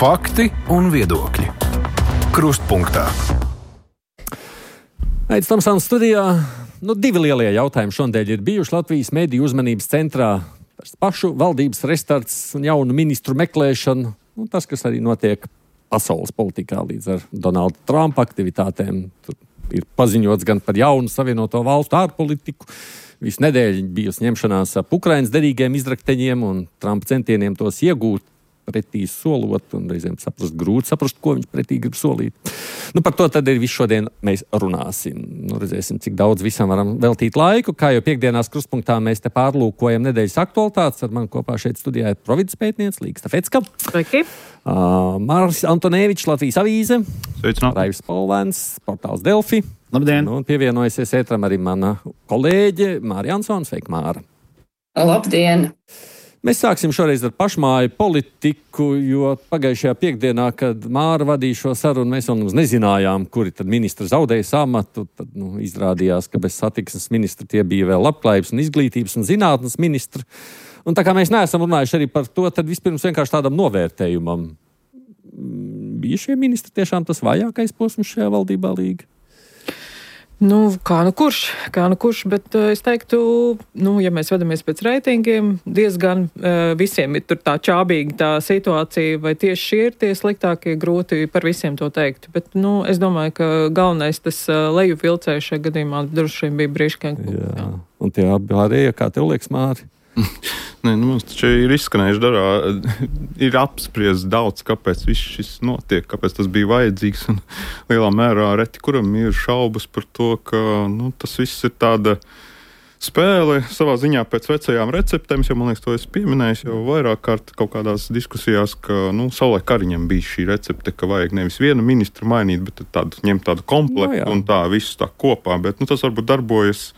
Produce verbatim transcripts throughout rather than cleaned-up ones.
Fakti un viedokļi. Krustpunktā. Aits Tomsons studijā. Nu, divi lielie jautājumi šodien ir bijuši Latvijas mediju uzmanības centrā. Pašu valdības restarts un jaunu ministru meklēšana. Nu, tas, kas arī notiek pasaules politikā līdz ar Donalda Trumpa aktivitātēm. Tur ir paziņots gan par jaunu Savienoto valstu ārpolitiku. Visu nedēļu bijusi ņemšanās ap Ukrainas derīgiem izrakteņiem un Trumpa centieniem tos iegūt, pretī solot, un reizēm saprast, grūti saprast, ko viņš pretī grib solīt. Nu, par to tad ir visu šodien mēs runāsim. Nu, redzēsim, cik daudz visam varam veltīt laiku. Kā jau piekdienās Krustpunktā mēs te pārlūkojam nedēļas aktualitātes. Ar mani kopā šeit studijā ir provides pētniece Līga Stafecka. Sveiki. Uh, Māris Antonevičs, Latvijas avīze. Sveicināt. Raivis Polvēns, portāls Delfi. Labdien. Nu, un pievienojusies ētram arī mana kolēģe Māra Jansone. Sveika, Māra. Labdien. Mēs sāksim šoreiz ar pašmāju politiku, jo pagājušajā piekdienā, kad Māra vadīja šo sarunu, mēs vēl mums nezinājām, kuri tad ministri zaudēja amatu. Tad nu, izrādījās, ka bez satiksmes ministra tie bija vēl labklājības un izglītības un zinātnes ministri. Un tā kā mēs neesam runājuši arī par to, tad vispirms vienkārši tādam novērtējumam. Bija šie ministri tiešām tas vājākais posms šajā valdībā, Līga? Nu, kā nu kurš, kā nu kurš, bet uh, es teiktu, nu, ja mēs vedamies pēc reitingiem, diezgan uh, visiem ir tur tā čābīga tā situācija, vai tieši šie ir tie sliktākie, grūti par visiem to teikt. Bet, nu, es domāju, ka galvenais tas uh, leju vilcējs šajā gadījumā droši vien bija Briškenko. Jā, un tie pārējie, kā tev liekas, Māri? Nē, nu, mums taču ir izskanējuši darā, ir apspriests daudz, kāpēc viss šis notiek, kāpēc tas bija vajadzīgs, un lielā mērā reti, kuram ir šaubas par to, ka, nu, tas viss ir tāda spēle savā ziņā pēc vecajām receptēm, jo, man liekas, to es pieminēju jau vairāk kārt kaut kādās diskusijās, ka, nu, savulaik Kariņam bija šī recepte, ka vajag nevis vienu ministru mainīt, bet tādu, ņemt tādu komplektu no, un tā visu tā kopā, bet, nu, tas varbūt darbojas.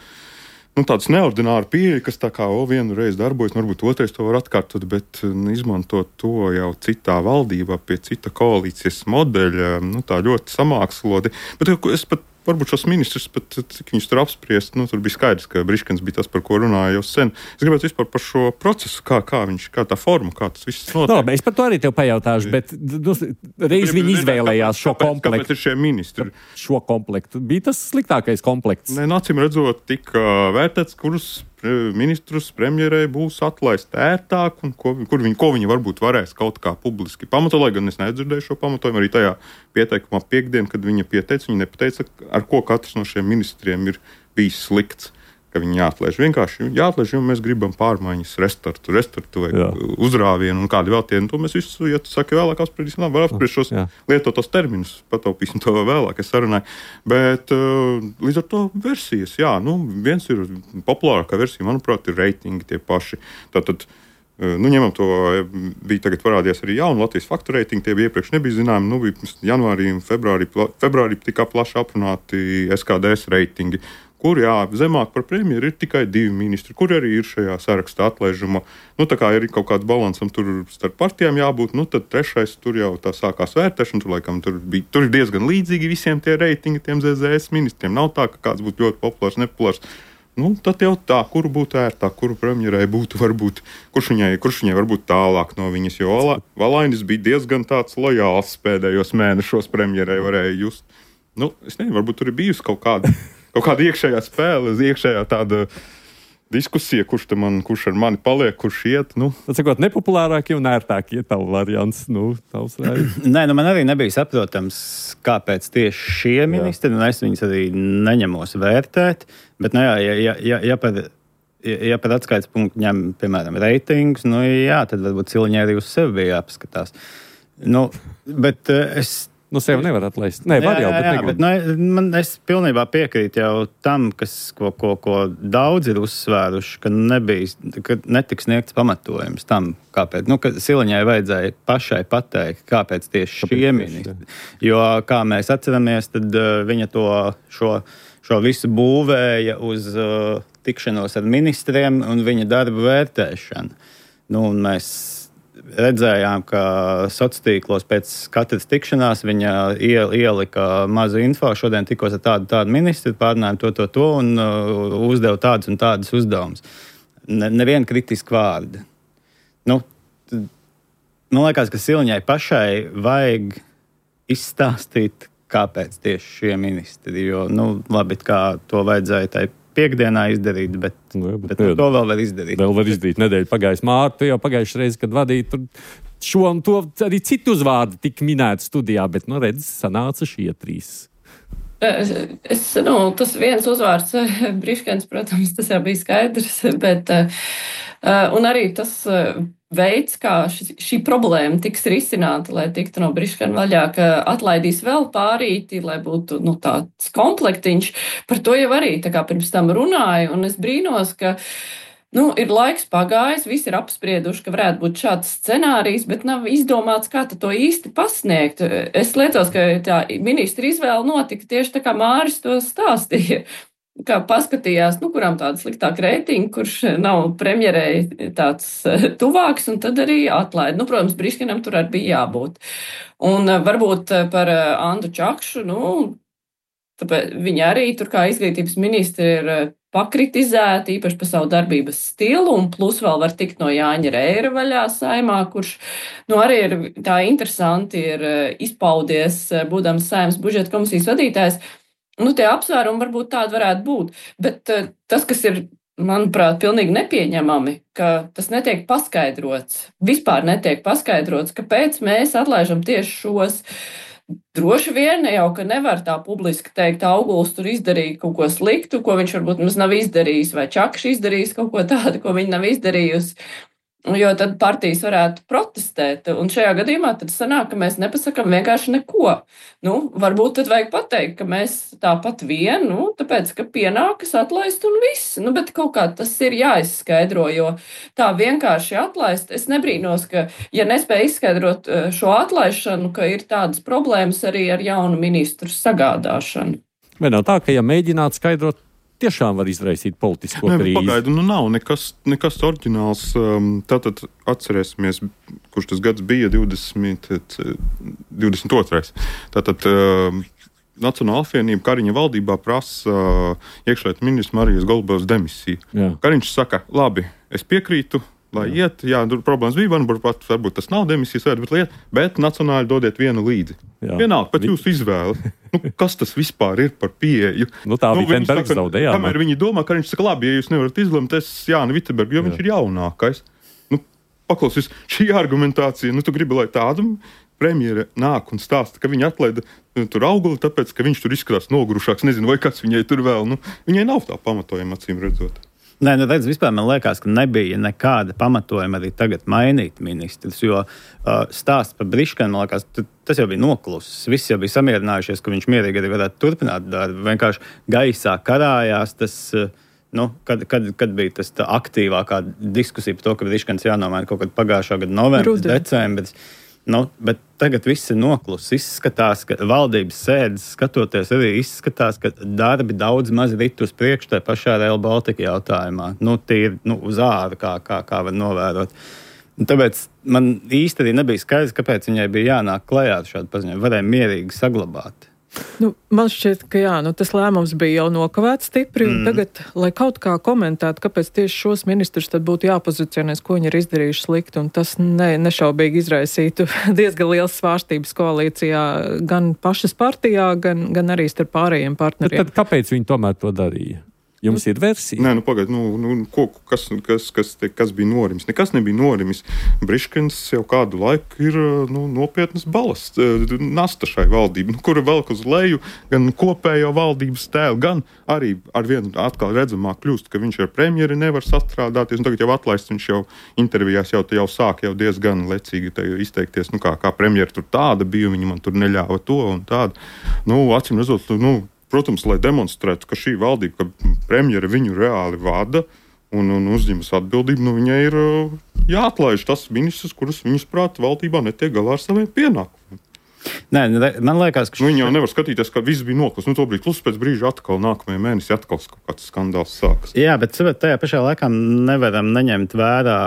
Nu, tāds neordināri pieeja, kas tā kā o, vienu reizi darbojas, varbūt otrais to var atkārtot, bet nu, izmantot to jau citā valdībā, pie cita koalīcijas modeļa, nu, tā ļoti samāksloti. Bet es pat, varbūt šos ministrus, pat, cik viņus tur apspriest, nu, tur bija skaidrs, ka Briškens bija tas, par ko runāja jau sen. Es gribētu vispār par šo procesu, kā, kā viņš, kā tā forma, kā tas viss notiek. No, es par to arī tev pajautāšu, bet nu, reiz viņi izvēlējās šo kāpēc, komplektu. Kāpēc ir šie ministri? Šo komplektu. Bija tas sliktākais komplekts? Nē, acīm redzot, tika vērtēts, kurus ministrus premjerei būs atlaist ērtāk un ko, kur viņi, ko viņi varbūt varēs kaut kā publiski pamatot, lai gan es nedzirdēju šo pamatojumu arī tajā pieteikumā piekdien, kad viņa pieteica, viņa nepateica, ar ko katrs no šiem ministriem ir bijis slikts, ka viņi jāatlaiž. Vienkārši jāatlaiž, jo mēs gribam pārmaiņas, restartu, restartu vai Jā. uzrāvienu un kādi vēl tie. Un to mēs visu, ja tu saki vēlāk apspriedīsim, labi, var apspriest šos Jā. lietotos terminus, pataupīsim to vēlāk, es sarunāju. Bet uh, līdz ar to versijas, jā, nu, viens ir populārākā versija, manuprāt, ir reitingi tie paši. Tātad, uh, nu, ņemam to, bija tagad parādījās arī jauni Latvijas faktu reitingi, tie bija iepriekš nebija zināmi, nu, bija janvārī un februārī, februārī tika plaši aprunāti S K D S reitingi. Kur, jā, zemāk par premjeru ir tikai divi ministri, kur arī ir šajā sarakstā atlaižuma. Nu, tā kā ir kaut kāds balansam tur starp partijām jābūt, nu, tad trešais tur jau tā sākās vērtēšana, tur laikam tur bija, tur ir diezgan līdzīgi visiem tie reitingi, tiem Z Z S ministriem. Nav tā, ka kāds būtu ļoti populārs, nepopulārs. Nu, tad jau tā, kuru būtu ērtāk, kuru premjerai būtu varbūt, kurš viņai, kurš viņai varbūt tālāk no viņas, jo Valainis bija diezgan tāds lojāls pēdējos mēnešos premjerai varēja just. Nu, es nezinu, varbūt tur ir bijusi kaut kāda. Kaut kāda iekšējā spēle, iekšējā tāda diskusija, kurš, man, kurš ar mani paliek, kurš iet. Nu. Tas ir nepopulārākie un ērtākie tavu variants. Nu, tavs Raivis. Nē, nu man arī nebija saprotams, kāpēc tieši šie ministri, un es viņus arī neņemos vērtēt. Bet, nu jā, ja, ja, ja, ja par, ja, ja par atskaites punktu ņem, piemēram, reitingus, nu jā, tad varbūt Ciliņai arī uz sevi bija jāpaskatās. Nu, bet es... Nu, sev nevar atlaist. Nē, var jau, bet negrib. Bet, nu, man, es pilnībā piekrītu jau tam, kas, ko, ko, ko daudz ir uzsvēruši, ka, nebija, ka netiks sniegts pamatojums tam, kāpēc. Nu, ka Ciliņai vajadzēja pašai pateikt, kāpēc tieši šie ministri. Jo, kā mēs atceramies, tad uh, viņa to, šo, šo visu būvēja uz uh, tikšanos ar ministriem un viņa darba vērtēšanu. Nu, un mēs redzējām, ka sociālos tīklos pēc katras tikšanās viņa ielika mazu info. Šodien tikos ar tādu, tādu ministru, pārnājām to, to, to un uh, uzdevu tādus un tādus uzdevumus. Ne, neviena kritiska vārda. Nu, man liekas, ka Siliņai pašai vajag izstāstīt, kāpēc tieši šie ministri. Jo, nu, labi, kā to vajadzēja tai piekdienā izdarīt, bet, nu, jā, bet, bet jā, to vēl var izdarīt. Vēl var izdarīt. Nedēļa pagājis Mārtu, jau pagājušajā reizē, kad vadīja tur šo un to arī citu uzvārdu tika minēti studijā, bet, nu, redz, sanāca šie trīs. Es, nu, tas viens uzvārds, Briškens, protams, tas jau bija skaidrs, bet, un arī tas veids, kā šī, šī problēma tiks risināta, lai tiktu no Briškena vaļā, ka atlaidīs vēl pārīti, lai būtu, nu, tāds komplektiņš, par to jau arī tā kā pirms tam runāju, un es brīnos, ka Nu, ir laiks pagājis, visi ir apsprieduši, ka varētu būt šāds scenārijs, bet nav izdomāts, kā to īsti pasniegt. Es lietos, ka tā ministra izvēle notika tieši tā, kā Māris to stāstīja. Kā paskatījās, nu, kurām tāda sliktāka reitinga, kurš nav premjerei tāds tuvāks, un tad arī atlaida. Nu, protams, Briškenam tur arī bija jābūt. Un varbūt par Andu Čakšu, nu, tāpēc viņa arī tur kā izglītības ministri ir pakritizēti, īpaši par savu darbības stilu, un plus vēl var tikt no Jāņa Reira vaļā saimā, kurš, nu, arī ir tā interesanti ir izpaudies, būdams Saeimas budžeta komisijas vadītājs. Nu, tie apsvērumi varbūt tādi varētu būt, bet tas, kas ir, manuprāt, pilnīgi nepieņemami, ka tas netiek paskaidrots, vispār netiek paskaidrots, kāpēc mēs atlaižam tieši šos. Droši vien jau, ka nevar tā publiski teikt, Auguls tur izdarīja kaut ko sliktu, ko viņš varbūt mums nav izdarījis, vai Čakš izdarījis kaut ko tādu, ko viņa nav izdarījusi. Jo tad partijas varētu protestēt, un šajā gadījumā tad sanāk, ka mēs nepasakam vienkārši neko. Nu, varbūt tad vajag pateikt, ka mēs tāpat vien, nu, tāpēc, ka pienākas atlaist un viss. Nu, bet kaut kā tas ir jāizskaidro, jo tā vienkārši atlaist, es nebrīnos, ka, ja nespēja izskaidrot šo atlaišanu, ka ir tādas problēmas arī ar jaunu ministru sagādāšanu. Vai nav tā, ka, ja mēģināt skaidrot, tiešām var izraisīt politisko Nē, krīzi? Pagaidu, nu nav nekas, nekas oriģināls. Tātad atcerēsimies, kurš tas gads bija, divdesmit, divdesmit otrais. Tātad Nacionāla apvienība Kariņa valdībā prasa iekšlietu ministru Marijas Golubovas demisiju. Jā. Kariņš saka, labi, es piekrītu, lai jā. iet, jā, tur problēmas bija, varbūt, varbūt tas nav demisijas vērts, bet liet, bet nacionāli dodiet vienu līdzi. Jā. Vienalga, pat jūsu izvēle. Nu, kas tas vispār ir par pieeju? Nu, tā nu, bija Vitenbergs zaudējā. Kamēr viņi domā, ka viņš saka, labi, ja jūs nevarat izlemt, es Jāni Vitenbergu, jo jā. viņš ir jaunākais. Nu, paklausies, šī argumentācija, nu, tu gribi, lai tādu premjere nāk un stāsta, ka viņa atlaida tur Auguli, tāpēc, ka viņš tur izskatās nogurušāks, nezinu, vai kāds viņai tur vēl, nu, viņai nav tā pamatojuma, acīm redzot. Nē, nu redz, vispār man liekas, ka nebija nekāda pamatojuma arī tagad mainīt ministrus, jo uh, stāsts par Briškenu, man liekas, tas jau bija noklusis. Visi jau bija samierinājušies, ka viņš mierīgi arī varētu turpināt darbu. Vienkārši gaisā karājās tas, uh, nu, kad, kad, kad bija tas aktīvākā diskusija par to, ka Briškens jānomaina kaut kad pagājušā gada novembris, decembris. Nu, bet tagad viss ir noklusis. Izskatās, ka valdības sēdes skatoties arī izskatās, ka darbi daudz maz rit uz priekšu tajā pašā Rail Baltica jautājumā. Nu, tīri nu, uz āru, kā, kā, kā var novērot. Un tāpēc man īsti arī nebija skaidrs, kāpēc viņai bija jānāk klajā ar šādu paziņojumu. Varēja mierīgi saglabāt. Nu, man šķiet, ka jā, nu, tas lēmums bija jau nokavēts stipri, un mm. tagad, lai kaut kā komentētu, kāpēc tieši šos ministrus tad būtu jāpozicionēs, ko viņi ir izdarījuši slikti, un tas ne, nešaubīgi izraisītu diezgan liels svārstības koalīcijā, gan pašas partijā, gan, gan arī starp pārējiem partneriem. Tad, tad kāpēc viņi tomēr to darīja? Jums ir versija? Nē, nu pagaid, nu, nu ko, kas, kas, kas, te, kas bija norimis? Nekas nebija norimis. Briškens jau kādu laiku ir nu, nopietnas balasts, nasta šai valdībai, nu, kura velk uz leju gan kopējo valdības tēlu, gan arī ar vienu atkal redzamāk kļūst, ka viņš ar premjeri nevar sastrādāties, un tagad jau atlaists viņš jau intervijās jau, jau sāk jau diezgan lecīgi izteikties, nu, kā, kā premjeri tur tāda bija, viņi man tur neļāva to un tādu. Nu, acīm redzot, nu, protams, lai demonstrētu, ka šī valdība, ka premjera viņu reāli vada un, un uzņemas atbildību, nu viņai ir jāatlaiž tas ministrs, kurus viņas prāt valdībā netiek galā ar saviem pienākumiem. Nē, man liekas, ka... Nu, viņi jau nevar skatīties, ka viss bija noklus. Nu, to brīd, plus pēc brīža atkal nākamajā mēnesī atkal kaut kāds skandāls sākas. Jā, bet tajā pašā laikā nevaram neņemt vērā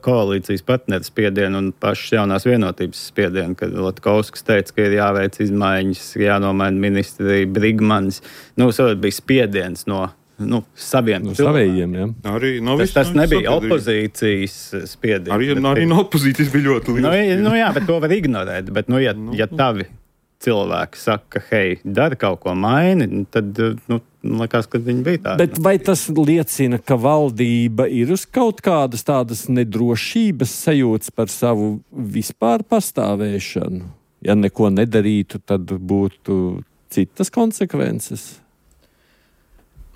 koalīcijas partneru spiedienu un pašas jaunās vienotības spiedienu, kad Latkovskis teica, ka ir jāveic izmaiņas, jānomaina ministri, Brigmanis. Nu, savukārt bija spiediens no nu, saviem No cilvēkiem. savējiem, ja. Arī no Tas, visu, tas no nebija sabiedrības. opozīcijas spiediens. Arī, bet- arī no opozīcijas bija ļoti liels. Nu, ja- nu jā, bet to var ignorēt. Bet, nu, ja, ja tavi cilvēki saka, hei, dari kaut ko maini, tad, nu, likās, ka viņi bija tādi. Bet vai tas liecina, ka valdība ir uz kaut kādas tādas nedrošības sajūtas par savu vispār pastāvēšanu? Ja neko nedarītu, tad būtu citas konsekvences.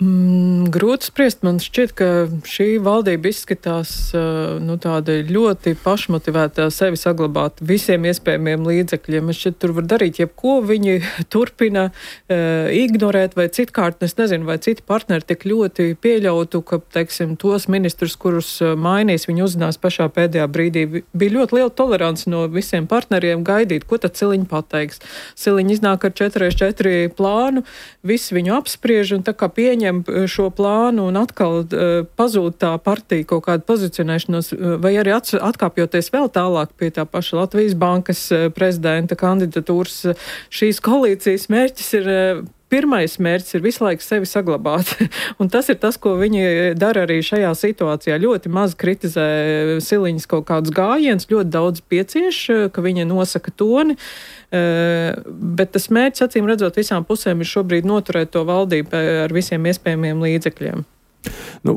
Mm, grūti spriest. Man šķiet, ka šī valdība izskatās uh, nu, tāda ļoti pašmotivēta sevi saglabāt visiem iespējamiem līdzekļiem. Man šķiet, tur var darīt jebko. Viņi turpina uh, ignorēt, vai citkārt, es nezinu, vai citi partneri tik ļoti pieļautu, ka, teiksim, tos ministrus, kurus uh, mainīs, viņi uzzinās pašā pēdējā brīdī. Bija ļoti liela tolerance no visiem partneriem gaidīt, ko tad Siliņa pateiks. Siliņa iznāk ar četri pret četri plānu, visi viņu apspriež un tā kā pieņem šo plānu un atkal uh, pazūd tā partija kaut kāda pozicionēšanos, uh, vai arī ats, atkāpjoties vēl tālāk pie tā paša Latvijas bankas uh, prezidenta kandidatūras. Uh, šīs koalīcijas mērķis ir, uh, pirmais mērķis ir visu laiku sevi saglabāt. Un tas ir tas, ko viņi dara arī šajā situācijā. Ļoti maz kritizē Siliņas kaut kādus gājienus, ļoti daudz piecieš, uh, ka viņa nosaka toni. Uh, bet tas mērķis, acīm redzot, visām pusēm ir šobrīd noturēt to valdību ar visiem iespējamiem līdzekļiem. Nu,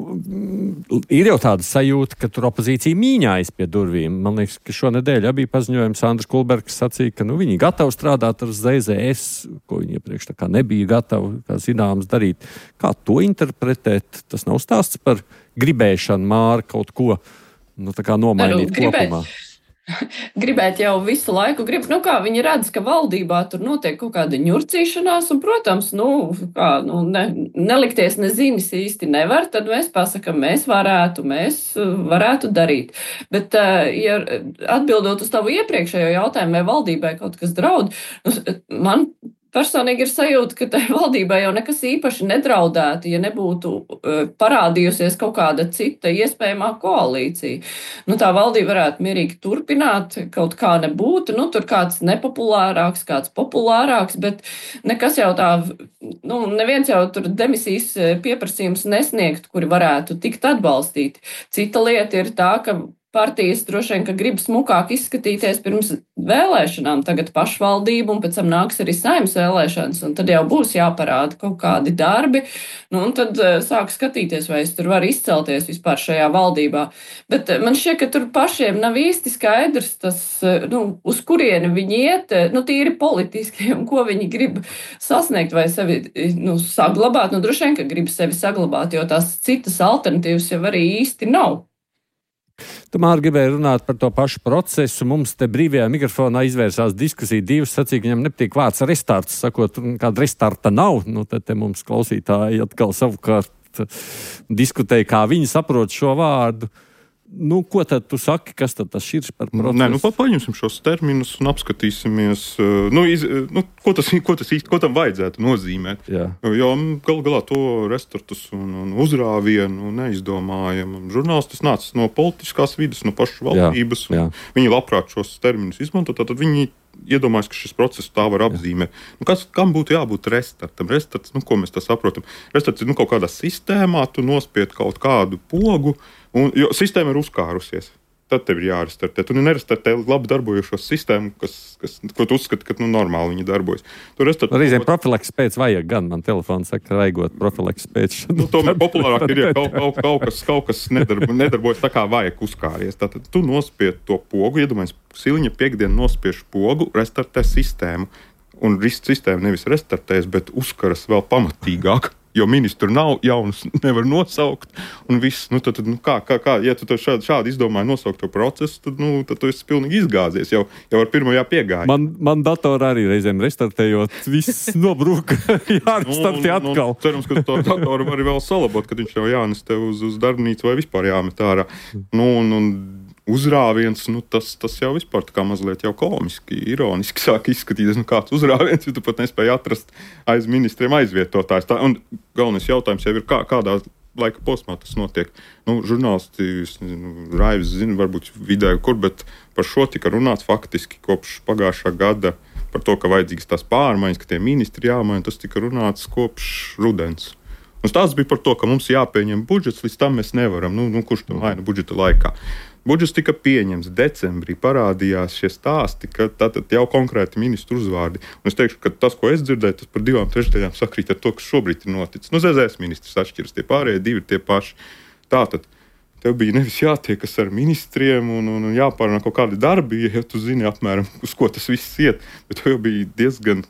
ir jau tāda sajūta, ka tur opozīcija mīņājas pie durvīm. Man liekas, ka šonedēļ bija paziņojums Andris Kulbergs sacīja, ka nu, viņi gatavi strādāt ar Z Z S, ko viņi iepriekš tā kā nebija gatavi, kā zināms, darīt. Kā to interpretēt? Tas nav stāsts par gribēšanu Māra kaut ko nu, tā kā nomainīt Nu, gribēt. kopumā. Gribēt jau visu laiku, grib, nu kā viņi redz, ka valdībā tur notiek kaut kāda ņurcīšanās, un, protams, nu, kā, nu ne, nelikties nezinis īsti nevar, tad mēs pasakam, mēs varētu, mēs varētu darīt. Bet, ja atbildot uz tavu iepriekšējo jautājumu, vai valdībai kaut kas draud, man personīgi ir sajūta, ka tai valdībai jau nekas īpaši nedraudētu, ja nebūtu uh, parādījusies kaut kāda cita iespējamā koalīcija. Nu, tā valdība varētu mierīgi turpināt, kaut kā nebūtu, nu, tur kāds nepopulārāks, kāds populārāks, bet nekas jau tā, nu, neviens jau tur demisijas pieprasījums nesniegt, kuri varētu tikt atbalstīti. Cita lieta ir tā, ka partijas droši vien, ka grib smukāk izskatīties pirms vēlēšanām, tagad pašvaldību, un pēc tam nāks arī saimnes vēlēšanas, un tad jau būs jāparāda kaut kādi darbi, nu, un tad uh, sāk skatīties, vai es tur varu izcelties vispār šajā valdībā. Bet uh, man šķiet, ka tur pašiem nav īsti skaidrs tas, uh, nu, uz kurieni viņi iet, uh, nu, tīri politiski, un ko viņi grib sasniegt vai sevi, nu, saglabāt. Nu, droši vien, ka grib sevi saglabāt, jo tās citas alternatīvas jau arī īsti nav. Tu, Māri, gribēji runāt par to pašu procesu. Mums te brīvajā mikrofonā izvērsās diskusija. Divas sacīja, ka viņam nepatīk vārds restarts. Sakot, kāda restarta nav. Nu, tad te mums klausītāji atkal savukārt diskutēja, kā viņi saprot šo vārdu. Nu, ko tad tu saki, kas tad tas ir par procesu? Nē, nu, paņemsim šos terminus un apskatīsimies, nu, iz, nu, ko, tas, ko, tas īsti, ko tam vajadzētu nozīmēt. Jā. Jo gal galā to restartus un, un uzrāvienu neizdomājam. Žurnālistis nāca no politiskās vidas, no pašas valdības. Jā, jā. Viņi labprāt šos terminus izmanto, tad viņi iedomājas, ka šis process tā var apzīmēt. Nu, kas, kam būtu jābūt restartam? Restarts, nu, ko mēs tā saprotam? Restarts ir nu, kaut kādā sistēmā, tu nospied kaut kādu pogu, un, jo sistēma ir uzkārusies. Tad tev ir jārestartē. Tu nerestartē labi darbojošos sistēmu, kas, kas, ko tu uzskati, ka nu, normāli viņi darbojas. Reizēm profilaks pēc vajag gan. Man telefons saka, raigot profilaks pēc. Nu, tomēr populārāk ir, ja kaut, kaut, kaut kas, kaut kas nedarbo, nedarbojas tā kā vajag uzkāries. Tātad tu nospied to pogu, iedomājies, Siliņa piekdien nospiež pogu, restartē sistēmu. Un sistēma nevis restartēs, bet uzkaras vēl pamatīgāk. Jo ministru nav, jaunus nevar nosaukt, un viss, nu, tad, nu, kā, kā, kā, ja tu šādi, šādi izdomāji nosaukt to procesu, tad, nu, tad tu esi pilnīgi izgāzies, jau, jau ar pirmajā piegāja. Man, man datorā arī reizēm restartējot, viss nobrūk, jārestartē atkal. Nu, cerams, ka to datoru var vēl salabot, kad viņš jau jānes tev uz, uz darbnīcu vai vispār jāmet ārā. Nu, un, un uzrāviens, nu, tas, tas jau vispār tā kā mazliet jau komiski, ironiski sāk izskatīties, nu, kāds uzrāviens, jo tu pat nespēji atrast aiz ministriem aizvietotājs. Tā, un galvenais jautājums jau ir, kā, kādā laika posmā tas notiek. Nu, žurnālisti, Raivs zina, varbūt vidēji kur, bet par šo tika runāts faktiski kopš pagājušā gada par to, ka vajadzīgas tās pārmaiņas, ka tie ministri jāmaina, tas tika runāts kopš rudens. Un stāsts bija par to, ka mums jāpieņem budžets, līdz tam mēs nevaram. Nu, nu, kurš to maina budžeta laikā? Budžets tika pieņemts decembrī, parādījās šie stāsti, ka tātad jau konkrēti ministru uzvārdi. Un es teikšu, ka tas, ko es dzirdēju, tas par divām trešdaļām sakrīt ar to, kas šobrīd ir noticis. Nu, Z Z S ministrs atšķiras, tie pārējie divi ir tie paši. Tātad tev bija nevis jātiekas ar ministriem un, un, un jāpārunā kaut kādi darbi, ja tu zini apmēram, uz ko tas viss iet, bet tev jau bija diezgan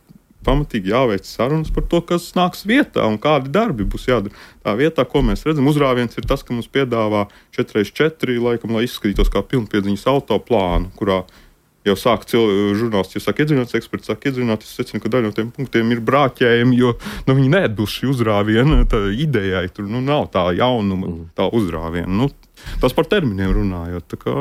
pamatīgi jāveic sarunas par to, kas nāks vietā un kādi darbi būs jādara. Tā vietā, ko mēs redzam, uzrāviens ir tas, ka mums piedāvā četri pret četri, laikam, lai izskatītos kā pilnpiedziņas auto plānu, kurā jau sāk žurnālisti, jau sāk iedzināties, eksperti sāk iedzināties, es secinu, ka daļa no tiem punktiem ir brāķējumi, jo nu, viņi neatbilst šī uzrāviena idejai, tur nu, nav tā jaunuma, tā uzrāviena. Nu, tas par terminiem runājot. Tā kā...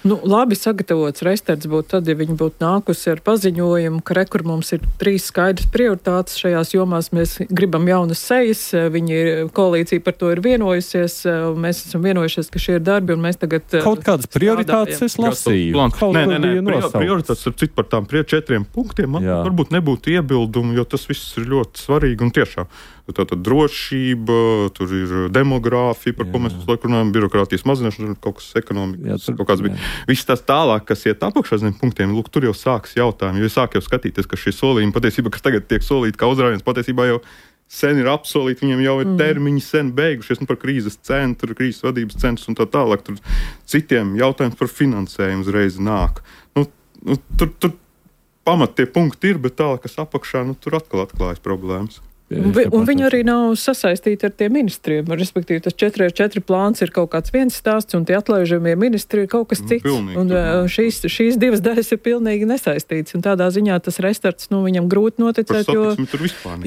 Nu, labi sagatavots restarts būtu tad, ja viņi būtu nākusi ar paziņojumu, ka rekur mums ir trīs skaidrs prioritātes šajās jomās. Mēs gribam jaunas sejas, viņi ir, koalīcija par to ir vienojusies, mēs esam vienojušies, ka šie ir darbi, un mēs tagad kaut kādas prioritātes es lasīju. Nē, nē, nē, prioritātes ar citu par tām četriem punktiem man Jā. varbūt nebūtu iebildumu, jo tas viss ir ļoti svarīgi un tiešām. Tātad drošība, tur ir demogrāfija, par Jā. ko mēs visu laiku runājam, birokrātijas mazināšana, kaut kas ekonomikas, Jā, tur, kaut kāds bija. Viss tās tālāk, kas iet apakšā zem punktiem, lūk, tur jau sāks jautājumi, jo sāk jau skatīties, ka šie solījumi patiesībā, kas tagad tiek solīti kā uzrāviens, patiesībā jau sen ir apsolīti, viņiem jau ir termiņi sen beigušies, nu par krīzes centru, krīzes vadības centrs un tā tālāk, tur citiem jautājums par finansējumu uzreiz nāk. Nu, nu, tur, tur pamat tie punkti ir, bet tālāk, kas apakšā, nu, tur atkal atklājas problēmas. Un, vi, un viņi arī nav sasaistīti ar tiem ministriem. Respektīvi, tas četri pret četri plāns ir kaut kāds viens stāsts, un tie atlaižamie ministri ir kaut kas cits. Pilnīgi, un uh, šīs, šīs divas daļas ir pilnīgi nesaistītas. Un tādā ziņā tas restarts, nu, viņam grūti noticēt, jo,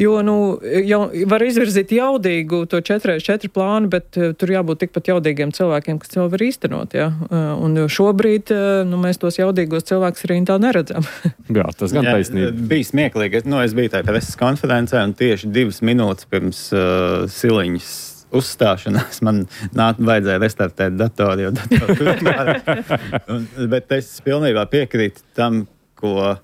jo nu, jau, var izvirzīt jaudīgu to četri pret četri plānu, bet uh, tur jābūt tikpat jaudīgiem cilvēkiem, kas to var īstenot. Ja? Uh, un šobrīd uh, nu, mēs tos jaudīgos cilvēkus arī tā neredzam. Jā, tas gan taisnība. Bija smieklīgi. Nu, es biju tajā preses konferencē un tieši divas minūtes pirms uh, Siliņas uzstāšanās man nāk, vajadzēja restartēt datoru, jo datoru turpināt. Bet es pilnībā piekrītu tam, ko uh,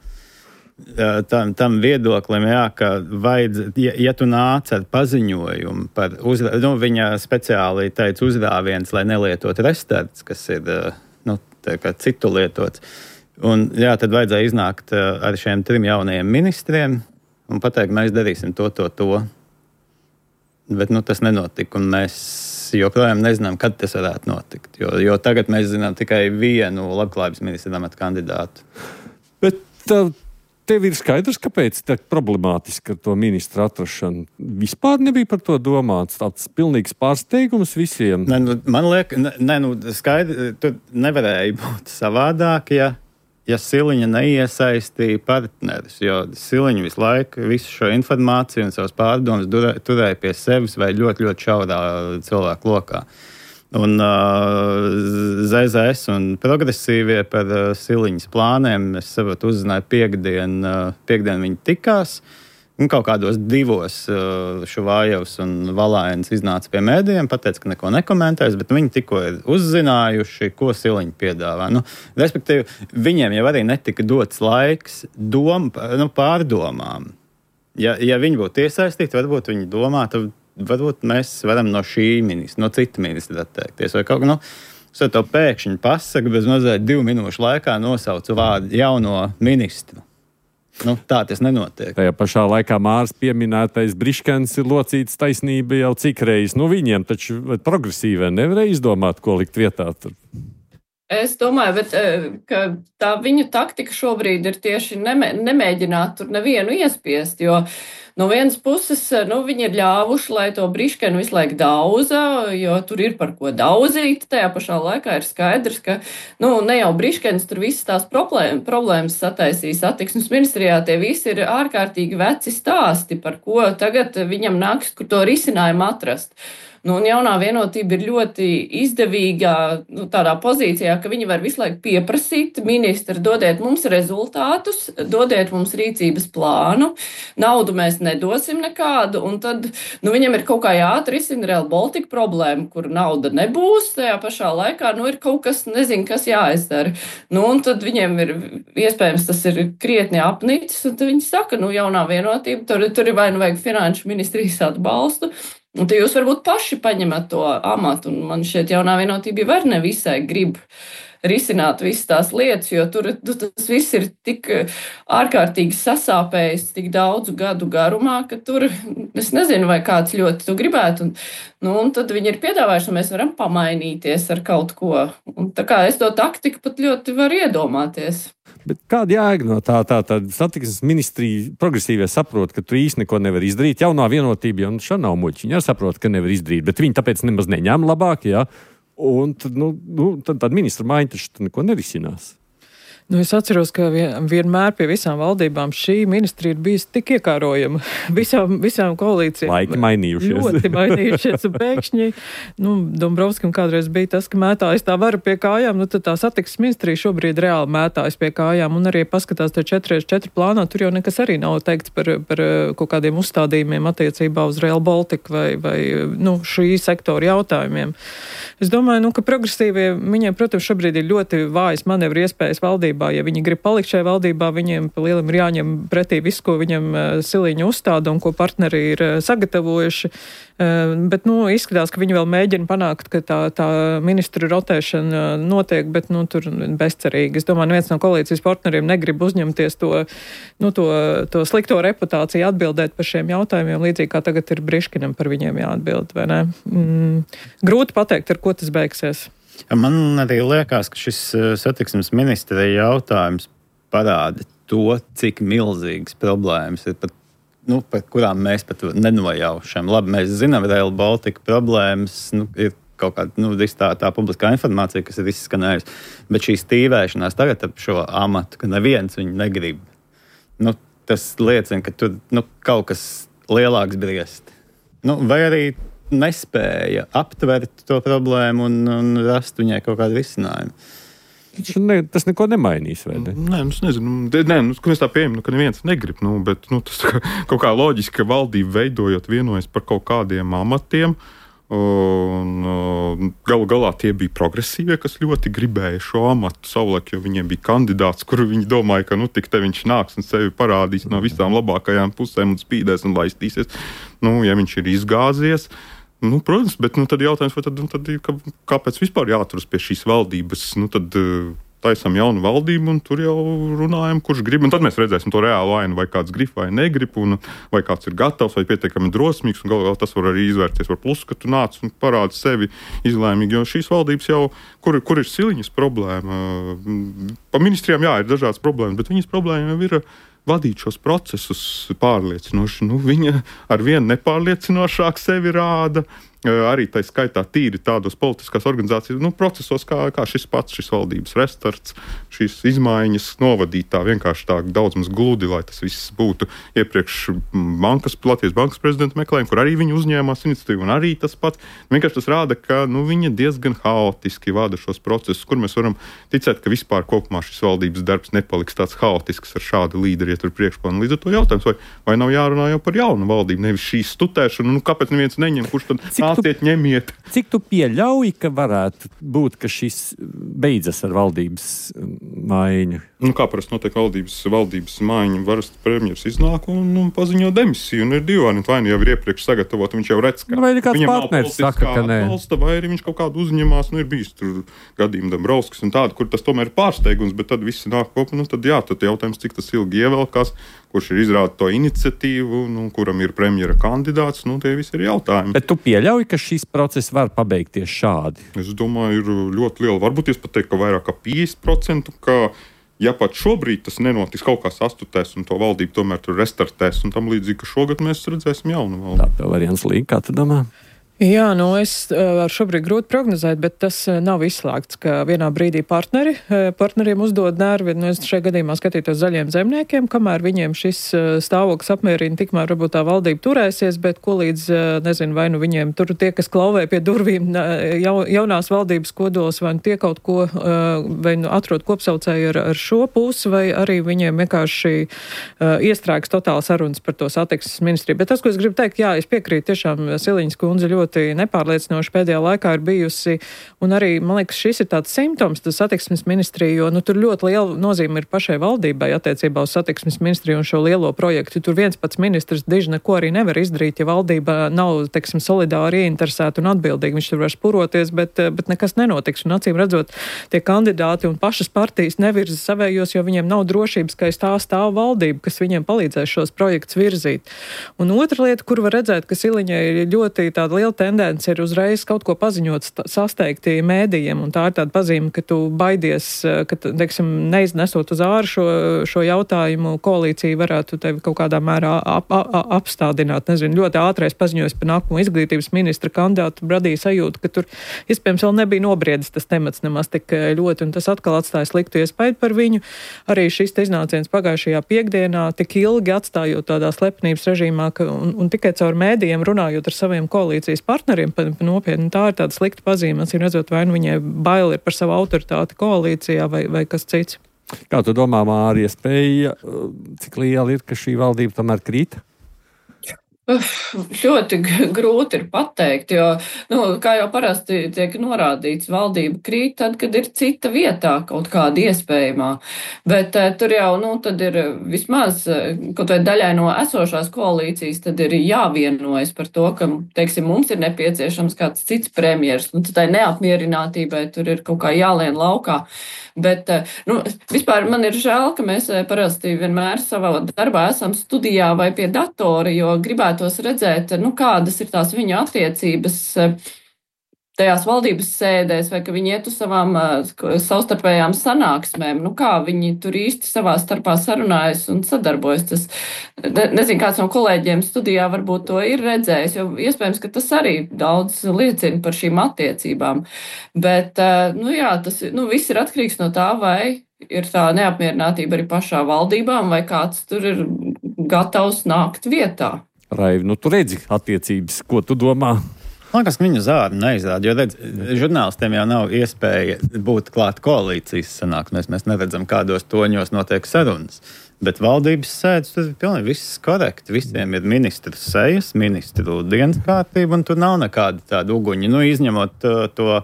tam, tam viedoklim, jā, ka vajadz, ja, ja tu nāc ar paziņojumu par uzrā, nu, viņa speciāli teica uzrāviens, lai nelietot restarts, kas ir uh, nu, tā kā citu lietots. Un jā, tad vajadzēja iznākt uh, ar šiem trim jaunajiem ministriem un pateikt, mēs darīsim to, to, to. Bet nu, tas nenotika, un mēs joprojām nezinām, kad tas varētu notikt. Jo, jo tagad mēs zinām tikai vienu labklājības ministra amata kandidātu. Bet uh, tev ir skaidrs, kāpēc tā problemātiski ar to ministru atrašanu? Vispār nebija par to domāts. Tāds pilnīgs pārsteigums visiem. Ne, nu, man liekas, ne, ne, nu, skaidri, tur nevarēja būt savādāk, ja Ja Siliņa neiesaistīja partnerus, jo Siliņa visu laiku visu šo informāciju un savas pārdomas turēja pie sevis vai ļoti, ļoti šaurā cilvēku lokā. Un uh, Z Z S un progresīvie par uh, Siliņas plāniem, es saprotu, uzzināju piekdien, uh, piekdien viņi tikās. Un kaut kādos divos uh, Šuvājevs un Valājens iznāca pie mēdījiem, pateica, ka neko nekomentēs, bet viņi tikko ir uzzinājuši, ko Siliņa piedāvā. Nu, respektīvi, viņiem jau arī netika dots laiks dom, nu, pārdomām. Ja, ja viņi būtu iesaistīti, varbūt viņi domātu, varbūt mēs varam no šī ministra, no cita ministra atteikties. Vai kaut kā, nu, so to pēkšņi pasaka, bez mazliet divu minūšu laikā nosaucu vārdu jauno ministru. Nu, tā tas nenotiek. Tajā pašā laikā Mārs pieminētais Briškens ir locīts taisnība jau cik reizes. Nu, viņiem taču progresīvē nevarēja izdomāt, ko likt vietā tur. Es domāju, bet, ka tā viņu taktika šobrīd ir tieši nemē, nemēģināt tur nevienu iespiest, jo no vienas puses, nu, viņi ir ļāvuši, lai to Briškenu visu laiku daudza, jo tur ir par ko daudzīt. Tajā pašā laikā ir skaidrs, ka, nu, ne jau Briškens tur visas tās problēmas, problēmas sataisīs attiksmes ministrijā, tie visi ir ārkārtīgi veci stāsti, par ko tagad viņam nāks, kur to risinājumu atrast. Nu, un jaunā vienotība ir ļoti izdevīgā, nu, tādā pozīcijā, ka viņi var visu laiku pieprasīt, ministri, dodiet mums rezultātus, dodiet mums rīcības plānu, naudu mēs nedosim nekādu, un tad, nu, viņam ir kaut kā jāatrisina Real Baltica problēma, kur nauda nebūs, tajā pašā laikā, nu, ir kaut kas, nezinu, kas jāizdara. Nu, un tad viņiem ir, iespējams, tas ir krietni apnicis, un tad viņi saka, nu, jaunā vienotība, tur, tur ir vai nu vajag finanšu ministrijas atbalstu, Un tad jūs varbūt paši paņemat to amatu, un man šķiet jaunā vienotība jau var nevisai grib risināt visas tās lietas, jo tur tas viss ir tik ārkārtīgi sasāpējis tik daudzu gadu garumā, ka tur es nezinu, vai kāds ļoti to gribētu. Un, nu, un tad viņi ir piedāvājuši, un mēs varam pamainīties ar kaut ko. Un tā kā es to taktiku pat ļoti varu iedomāties. Bet kāda jēga no tā? Tā tad satiksmes ministrija progresīvie saprot, ka tu īsti neko nevar izdarīt. Jaunā vienotība jau nu, šā nav muļķi. Viņi arī saprot, ka nevar izdarīt, bet viņi tāpēc nemaz neņem labāk, jā. Un tad, nu, nu, tad, tad ministra maiņa taču neko nerisinās. Nu, es atceros, ka vien, vienmēr pie visām valdībām šī ministrija ir bijusi tik iekārojama. Visām, visām koalīcijām. Laiki mainījušies. Ļoti mainījušies. Un pēkšņi, nu, Dombrovskam kādreiz bija tas, ka mētājas tā vara pie kājām, nu, tad tā satiksmes ministrija šobrīd reāli mētājas pie kājām. Un arī paskatās te četri četri plānā, tur jau nekas arī nav teikts par, par kaut kādiem uzstādījumiem attiecībā uz Rail Baltica vai, vai nu, šī sektora jautājumiem. Es domāju, nu, ka progresīvie, viņiem, protams, šobrīd ir ļoti vājas manevru iespējas valdībā. Ja viņi grib palikt šajā valdībā, viņiem pa lielam ir jāņem pretī visu, ko viņam Siliņa uzstāda un ko partneri ir sagatavojuši. Bet, nu, izskatās, ka viņi vēl mēģina panākt, ka tā, tā ministru rotēšana notiek, bet, nu, tur bezcerīgi. Es domāju, neviens no koalīcijas partneriem negrib uzņemties to, nu, to, to slikto reputāciju atbildēt par šiem jautājumiem, līdzīgi kā tagad ir Briškinam par viņiem jāatbild, vai ne? Mm, grūti pateikt, ar ko tas beigsies. Man arī liekas, ka šis satiksmes ministrija jautājums parāda to, cik milzīgas problēmas ir, pat, nu, par kurām mēs pat nenojaušam. Labi, mēs zinām, Rail Baltica problēmas, nu, ir kaut kāda nu, tā, tā publiskā informācija, kas ir izskanējusi, bet šī stīvēšanās tagad ap šo amatu, ka neviens viņu negrib, nu, tas liecina, ka tur nu, kaut kas lielāks briest. Nu, vai arī nespēja aptvert to problēmu un, un rast viņai kaut kādu risinājumu. Ne, tas neko nemainīs, vai ne? Nē, nu, es nezinu. Nē, nu, mēs tā pieejam, nu, ka neviens negrib, nu, bet nu, tas kā, kaut kā loģiski, ka valdība veidojot vienojas par kaut kādiem amatiem, un galu galā tie bija progresīvie, kas ļoti gribēja šo amatu savulaik, jo viņiem bija kandidāts, kuru viņi domāja, ka nu tik te viņš nāks un sevi parādīs no visām labākajām pusēm un spīdēs un laistīsies. Nu, ja viņš ir izgāzies, nu, protams, bet nu, tad jautājums, vai tad, nu, tad kā, kāpēc vispār jāturas pie šīs valdības? Nu, tad taisam jaunu valdību un tur jau runājam, kurš grib. Un tad mēs redzēsim to reālu ainu, vai kāds grib vai negrib, un vai kāds ir gatavs vai pietiekami drosmīgs. Un galvā tas var arī izvērties par plusu, ka tu nāc un parādi sevi izlēmīgi. Jo šīs valdības jau, kur, kur ir Siliņas problēma? Pa ministrijām, jā, ir dažādas problēmas, bet viņas problēma jau ir vadīt šos procesus pārliecinoši. Nu, viņa ar vienu nepārliecinošāk sevi rāda. Arī tā skaitā tīri tādos politiskās organizācijas nu, procesos, kā, kā šis pats, šis valdības restarts, šīs izmaiņas novadīt tā vienkārši tā daudz maz gludi, lai tas viss būtu iepriekš bankas, Latvijas bankas prezidenta meklējumi, kur arī viņi uzņēmās iniciatīvu, un arī tas pats. Vienkārši tas rāda, ka nu, viņa diezgan haotiski vada šos procesus, kur mēs varam ticēt, ka vispār kopumā šis valdības darbs nepaliks tāds haotisks ar šādu līderi ietur priekšplānu. Līdz ar to jautājums, vai, vai nav jārunā jau par jaunu valdību, nevis šī stutēšana, nu kāpēc neviens neņem, kurš tad nāciet, ņemiet. Cik tu pieļauj, ka varētu būt, ka šis beidzas ar valdības maiņu? Nu, kā parasti notiek valdības, valdības maiņa, varas premjers iznāk un, un paziņo demisiju, un ir divi varianti, vai nu jau ir iepriekš sagatavot, viņš jau redz, ka nu, vai kāds viņam partneris saka, ka nē. Atbalsta, vai arī viņš kaut kādu uzņemās, nu ir bijis tur gadījumi Dombrovskis un tādu, kur tas tomēr ir pārsteigums, bet tad visi nāk kopā, nu tad jā, tad jautājums, cik tas ilgi ievelkās, kurš ir izrāda to iniciatīvu, nu, kuram ir premjera kandidāts, nu tie visi ir jautājumi. Bet tu pieļauj, ka šis process var pabeigties šādi? Es domāju, ir ļoti liela, varbūt es pat teiktu, ka vairāk kā piecdesmit procenti, ka ja pat šobrīd tas nenotiks, kaut kā sastutēs un to valdību tomēr tur restartēs un tam līdzīgi, ka šogad mēs redzēsim jaunu valdību. Tā vēl Jānis Līga, kā tu domā? Jā, nu es varu šobrīd grūti prognozēt, bet tas nav izslēgts, ka vienā brīdī partneri, partneriem uzdod nervi. Nu, es šajā gadījumā skatītos Zaļiem zemniekiem, kamēr viņiem šis stāvoklis apmierina, tikmēr varbūt tā valdība turēsies, bet ko līdz, nezinu, vai nu viņiem tur tie, kas klauvē pie durvīm ja, jaunās valdības kodols, vai nu tie kaut ko, vai nu atrod kopsaucēju ar, ar šo pusi, vai arī viņiem vienkārši iestrēgs totāli sarunas par to satiksmes ministriju. Bet tas, ko es gribu teikt, jā, es piekrītu tiešām Siliņas kundze ļoti ļoti nepārliecinoši pēdējā laikā ir bijusi. Un arī, man liekas, šis ir tāds simptoms, tas satiksmes ministrija, jo nu, tur ļoti liela nozīme ir pašai valdībai attiecībā uz satiksmes ministriju un šo lielo projektu. Tur viens pats ministrs diži neko arī nevar izdarīt, ja valdība nav, teiksim, solidāri ieinteresēta un atbildīga. Viņš tur var spuroties, bet, bet nekas nenotiks. Un acīm redzot, tie kandidāti un pašas partijas nevirza savējos, jo viņiem nav drošības, ka aiz tā stāv valdība, kas viņiem palīdzēs šos projektus virzīt. Un otra lieta, kur var redzēt, ka Siliņai ir ļoti tāda liela tendence, ir uzreiz kaut ko paziņot sasteigti mēdījiem, un tā ir tāda pazīme, ka tu baidies, ka, teiksim, neiznesot uz āru šo, šo jautājumu, koalīcija varētu tevi kaut kādā mērā ap, ap, apstādināt. Nezinu, ļoti ātrais paziņojums par nākamo izglītības ministra kandidātu radīja sajūtu, ka tur iespējams vēl nebija nobriedis tas temats nemaz tik ļoti, un tas atkal atstāja sliktu iespēju par viņu. Arī šis iznāciens pagājušajā piekdienā tik ilgi atstājot tādā slepenības režīmā, ka, un, un tikai caur mēdījiem runājot ar saviem koalīcijas partneriem, pa, pa nopietni, tā ir tāda slikta pazīme. Acīm redzot, vai nu viņai bail ir par savu autoritāti koalīcijā vai, vai kas cits. Kā tu domā, Mārija, spēja, cik liela ir, ka šī valdība tomēr krīt? Uf, ļoti grūti ir pateikt, jo, nu, kā jau parasti tiek norādīts, valdība krīt tad, kad ir cita vietā kaut kāda iespējamā. Bet eh, tur jau, nu, tad ir vismaz, kaut vai daļai no esošās koalīcijas, tad ir jāvienojas par to, ka, teiksim, mums ir nepieciešams kāds cits premjers, un tai neapmierinātībai tur ir kaut kā jālien laukā. Bet, nu, vispār man ir žēl, ka mēs parasti vienmēr savā darbā esam studijā vai pie datora, jo gribētos redzēt, nu, kādas ir tās viņu attiecības tajās valdības sēdēs, vai ka viņi iet uz savām savstarpējām sanāksmēm, nu, kā viņi tur īsti savā starpā sarunājas un sadarbojas. Tas, ne, nezinu, kāds no kolēģiem studijā varbūt to ir redzējis, jo iespējams, ka tas arī daudz liecina par šīm attiecībām. Bet, nu jā, tas, nu, viss ir atkarīgs no tā, vai ir tā neapmierinātība arī pašā valdībām, vai kāds tur ir gatavs nākt vietā. Raivi, nu tu redzi attiecības, ko tu domā? Man liekas, ka viņu zādi neizrāda, jo redz, žurnālistiem jau nav iespēja būt klāt koalīcijas sanāksmēs. Mēs neredzam, kādos toņos notiek sarunas. Bet valdības sēdes, tas ir pilnīgi viss korekti. Visiem ir ministru sejas, ministru dienas kārtība, un tur nav nekāda tāda uguņa. Nu, izņemot to, to,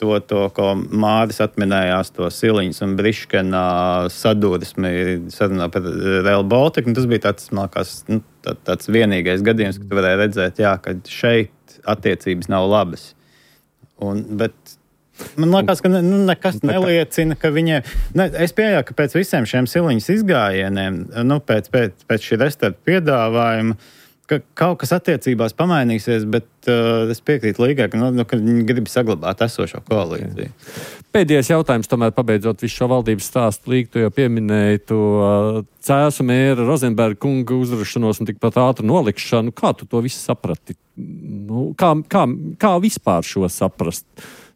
to, to ko Māris atminējās, to Siliņas un Briškena sadursmi sarunā par Rail Baltica. Tas bija tāds, man liekas, nu, tā, tāds vienīgais gadījums, ka tu varēji redzēt, jā, ka šeit attiecības nav labas. Un, bet man liekas, ka ne, nu, nekas neliecina, ka viņiem... Ne, es pieļauju, ka pēc visiem šiem Siliņas izgājieniem, nu, pēc, pēc, pēc šī restarta piedāvājuma, ka kaut kas attiecībās pamainīsies, bet uh, es piekrītu Līgai, ka, nu, ka viņi grib saglabāt esošo koalīciju. Pēdējais jautājums, tomēr pabeidzot visu šo valdības stāstu, Līga, tu jau pieminēji to uh, Cēsu mēra Rozenberga kunga uzrašanos un tikpat ātru nolikšanu. Kā tu to visu saprati? Nu, kā, kā, kā vispār šo saprast?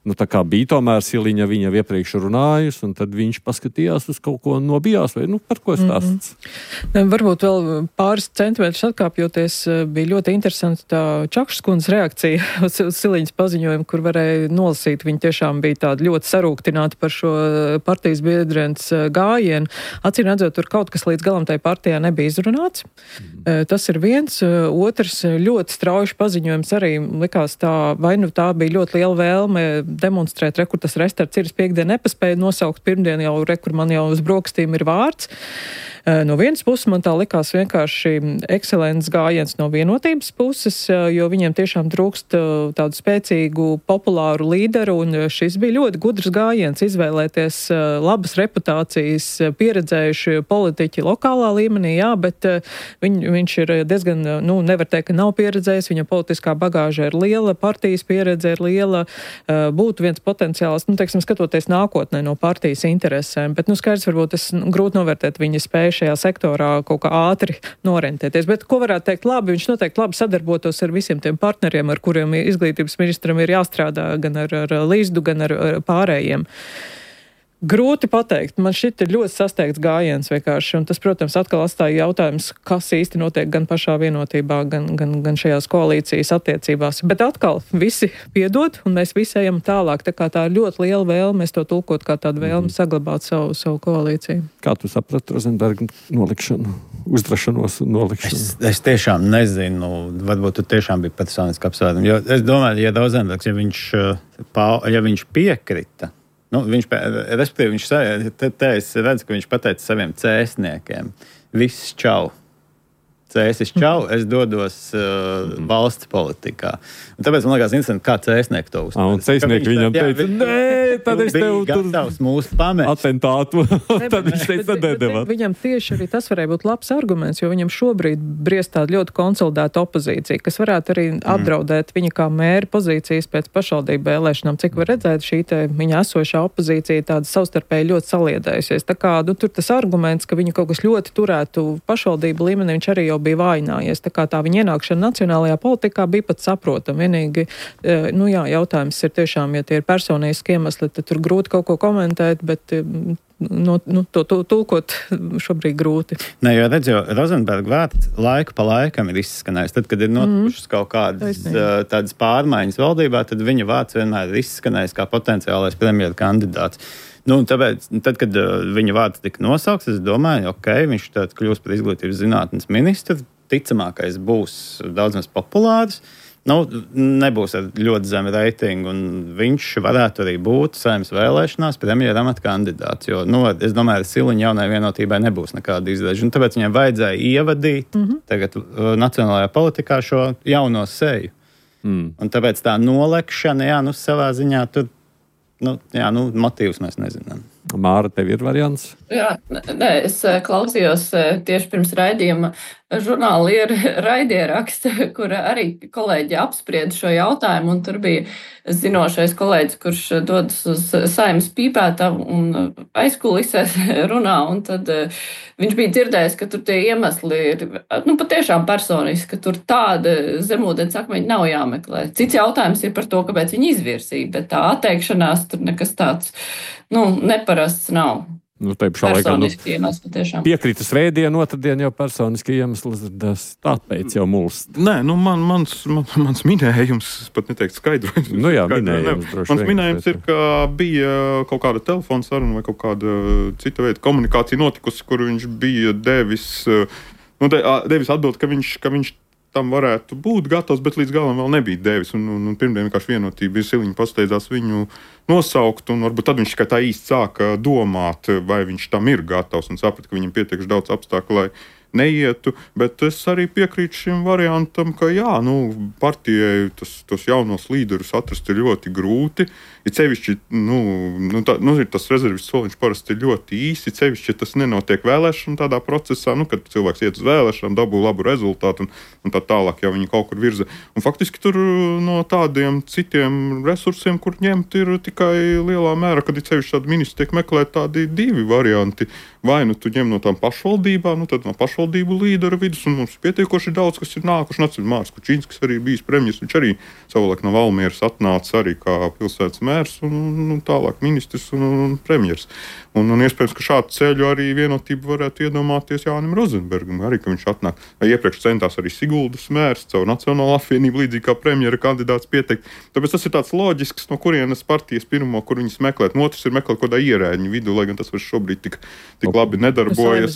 Nu, tā kā bija tomēr Siliņa viņa iepriekš runājusi, un tad viņš paskatījās uz kaut ko nobijās, vai, nu, par ko stāsts? Mm-hmm. Varbūt vēl pāris centimetrus atkāpjoties, bija ļoti interesanti tā Čakšas kundzes reakcija uz, uz Siliņas paziņojumu, kur varēja nolasīt. Viņa tiešām bija tāda ļoti sarūktināta par šo partijas biedrienes gājienu. Acīm redzot, tur kaut kas līdz galam tai partijā nebija izrunāts. Mm-hmm. Tas ir viens. Otrs, ļoti strauji paziņojums arī likās tā, vai nu tā bija ļoti liela vēlme demonstrēt, re, kur tas restarts ir, es piekdien nepaspēju nosaukt, pirmdien jau, re, kur man jau uz brokstīm ir vārds. No vienas puses man tā likās vienkārši ekscelents gājiens no vienotības puses, jo viņiem tiešām trūkst tādu spēcīgu, populāru līderu, un šis bija ļoti gudrs gājiens izvēlēties labas reputācijas, pieredzējuši politiķi lokālā līmenī, jā, bet viņ, viņš ir diezgan, nu, nevar teikt, ka nav pieredzējis, viņa politiskā bagāža ir liela, partijas pieredze ir liela, būtu viens potenciāls, nu, teiksim, skatoties nākotnē no partijas interesēm, bet, nu, skaidrs, varbūt es nu, grūti novērtēt viņa spēju šajā sektorā kaut kā ātri norentēties. Bet, ko varētu teikt labi, viņš noteikti labi sadarbotos ar visiem tiem partneriem, ar kuriem izglītības ministram ir jāstrādā gan ar, ar Līsdu, gan ar, ar pārējiem. Grūti pateikt. Man šit ir ļoti sasteigts gājiens vienkārši, un tas, protams, atkal atstāja jautājums, kas īsti notiek gan pašā vienotībā, gan, gan, gan šajās koalīcijas attiecībās. Bet atkal visi piedod, un mēs visi ejam tālāk. Tā kā tā ir ļoti liela vēlme, mēs to tulkot kā tādu vēlmi saglabāt savu, savu koalīciju. Kā tu saprati Rozenberga nolikšanu, uzdrašanos un nolikšanu? Es, es tiešām nezinu, varbūt tu tiešām bija personiski apsvērumi, jo es domāju, ja Rozenbergs, ja viņš, ja viņš piekrita, Nu, viņš, respektīvi, viņš te, te es redzu, ka viņš pateica saviem cēsniekiem, viss čau. Cēsis čau, es dodos uh, valsts politikā. Un tāpēc man liekas interesanti, kā cēsnieki to uztver. Un cēsnieki viņam jā, teica, nē, tad es tev tur mūsu pamest. Atentātu. Tad viņš teica, nedēvāt. Viņam tieši arī tas varēja būt labs arguments, jo viņam šobrīd briest tāda ļoti konsolidēta opozīcija, kas varētu arī apdraudēt viņa kā mēra pozīcijas pēc pašvaldību vēlēšanām. Cik var redzēt, šī te viņa esošā opozīcija tāda savstarpēji ļoti saliedējusies. Tā kā, nu, tur tas arguments, ka viņu kaut kas ļoti turētu pašvaldību līmenī, viņš arī jau bija vājinājies. Tā kā tā viņa ienākšana nacionālajā politikā bija pat saprotama. Vienīgi, nu jā, jautājums ir tiešām, ja tie ir personiski iemesli, tad tur grūti kaut ko komentēt, bet no, nu, to tulkot šobrīd grūti. Nē, jo redz, jo Rozenberga vārds laiku pa laikam ir izskanējis. Tad, kad ir notikušas mm. kaut kādas tādas pārmaiņas valdībā, tad viņa vārds vienmēr ir izskanējis kā potenciālais premjera kandidāts. Nu, tāpēc, tad, kad uh, viņa vārds tika nosaukts, es domāju, ok, viņš tad kļūs par izglītības zinātnes ministru, ticamākais būs daudz maz populārs, nu, nebūs ar ļoti zemu reitingu, un viņš varētu arī būt Saeimas vēlēšanās premjera amata kandidāts, jo, nu, es domāju, ar Siliņu jaunai vienotībai nebūs nekāda izdeža, un tāpēc viņam vajadzēja ievadīt mm-hmm. tagad uh, nacionālajā politikā šo jauno seju. Mm. Un tāpēc tā nolekšana, jā, nu, savā ziņā tur Nu, jā, nu, motīvus mēs nezinām. Māra, tev ir variants? Jā, nē, es klausījos tieši pirms raidījuma žurnāla ir raidieraksta, kur arī kolēģi apsprieda šo jautājumu, un tur bija zinošais kolēģis, kurš dodas uz Saeimas pīpētavu un aizkulisēs runā, un tad viņš bija dzirdējis, ka tur tie iemesli ir, nu, patiešām personiski, ka tur tāda zemūdens akmeņi nav jāmeklē. Cits jautājums ir par to, kāpēc viņi izvirsīja, bet tā atteikšanās tur nekas tāds, nu, neparasts nav. Nu, tā pašā laikā nu, piekrita svētdienu, otrdien jau personiski iemesls, tāpēc jau mulst. Nē, nu man, mans, man, mans minējums, pat neteikt skaidrojums. Nu jā, minējums. Mans minējums ir, ka bija kaut kāda telefona saruna vai kaut kāda cita veida komunikācija notikusi, kur viņš bija devis, nu, de, devis atbild, ka viņš, ka viņš tam varētu būt gatavs, bet līdz galam vēl nebija devis. Un, un, un pirmdien vienkārši vienotība Siliņa pasteidzās viņu nosaukt, un varbūt tad viņš tikai tā īsti sāka domāt, vai viņš tam ir gatavs, un saprata, ka viņam pietiekši daudz apstākļu, lai neietu, bet es arī piekrītu šim variantam, ka jā, nu, partijai tas, tos jaunos līderus atrast ir ļoti grūti. Ir sevišķi, nu, nu, tā, nu, tas rezervis soliņš parasti ir ļoti īsi, sevišķi, ja tas nenotiek vēlēšana tādā procesā, nu, kad cilvēks iet uz vēlēšanām, dabū labu rezultātu un, un tā tālāk jau viņi kaut kur virza. Un faktiski tur no tādiem citiem resursiem, kur ņemt, ir tikai lielā mērā, kad ir sevišķi tādi ministri tiek meklēt tādi divi varianti. Vai nu tu ņem no tām pašvaldībām, nu tad no pašvaldību līderu vidus, un mums pietiekoši daudz, kas ir nākuši. Nāc, Mārs Kučinskis arī bijis premjers, viņš arī savulaik no Valmieras atnāca arī kā pilsētas mērs un, un tālāk ministrs un, un premjers. Un, un iespējams, ka šādu ceļu arī vienotību varētu iedomāties Jānim Rozenbergam, arī, ka viņš atnāk. Iepriekš centās arī Siguldas mērs caur Nacionālo apvienību līdzīgi kā premjera kandidāts pieteikt. Tāpēc tas ir tāds loģisks, no kurienes partijas pirmo, kur viņas meklēt. Un otrs ir meklēt kaut kādā ierēģiņu vidū, lai gan tas var šobrīd tik, tik labi nedarbojas.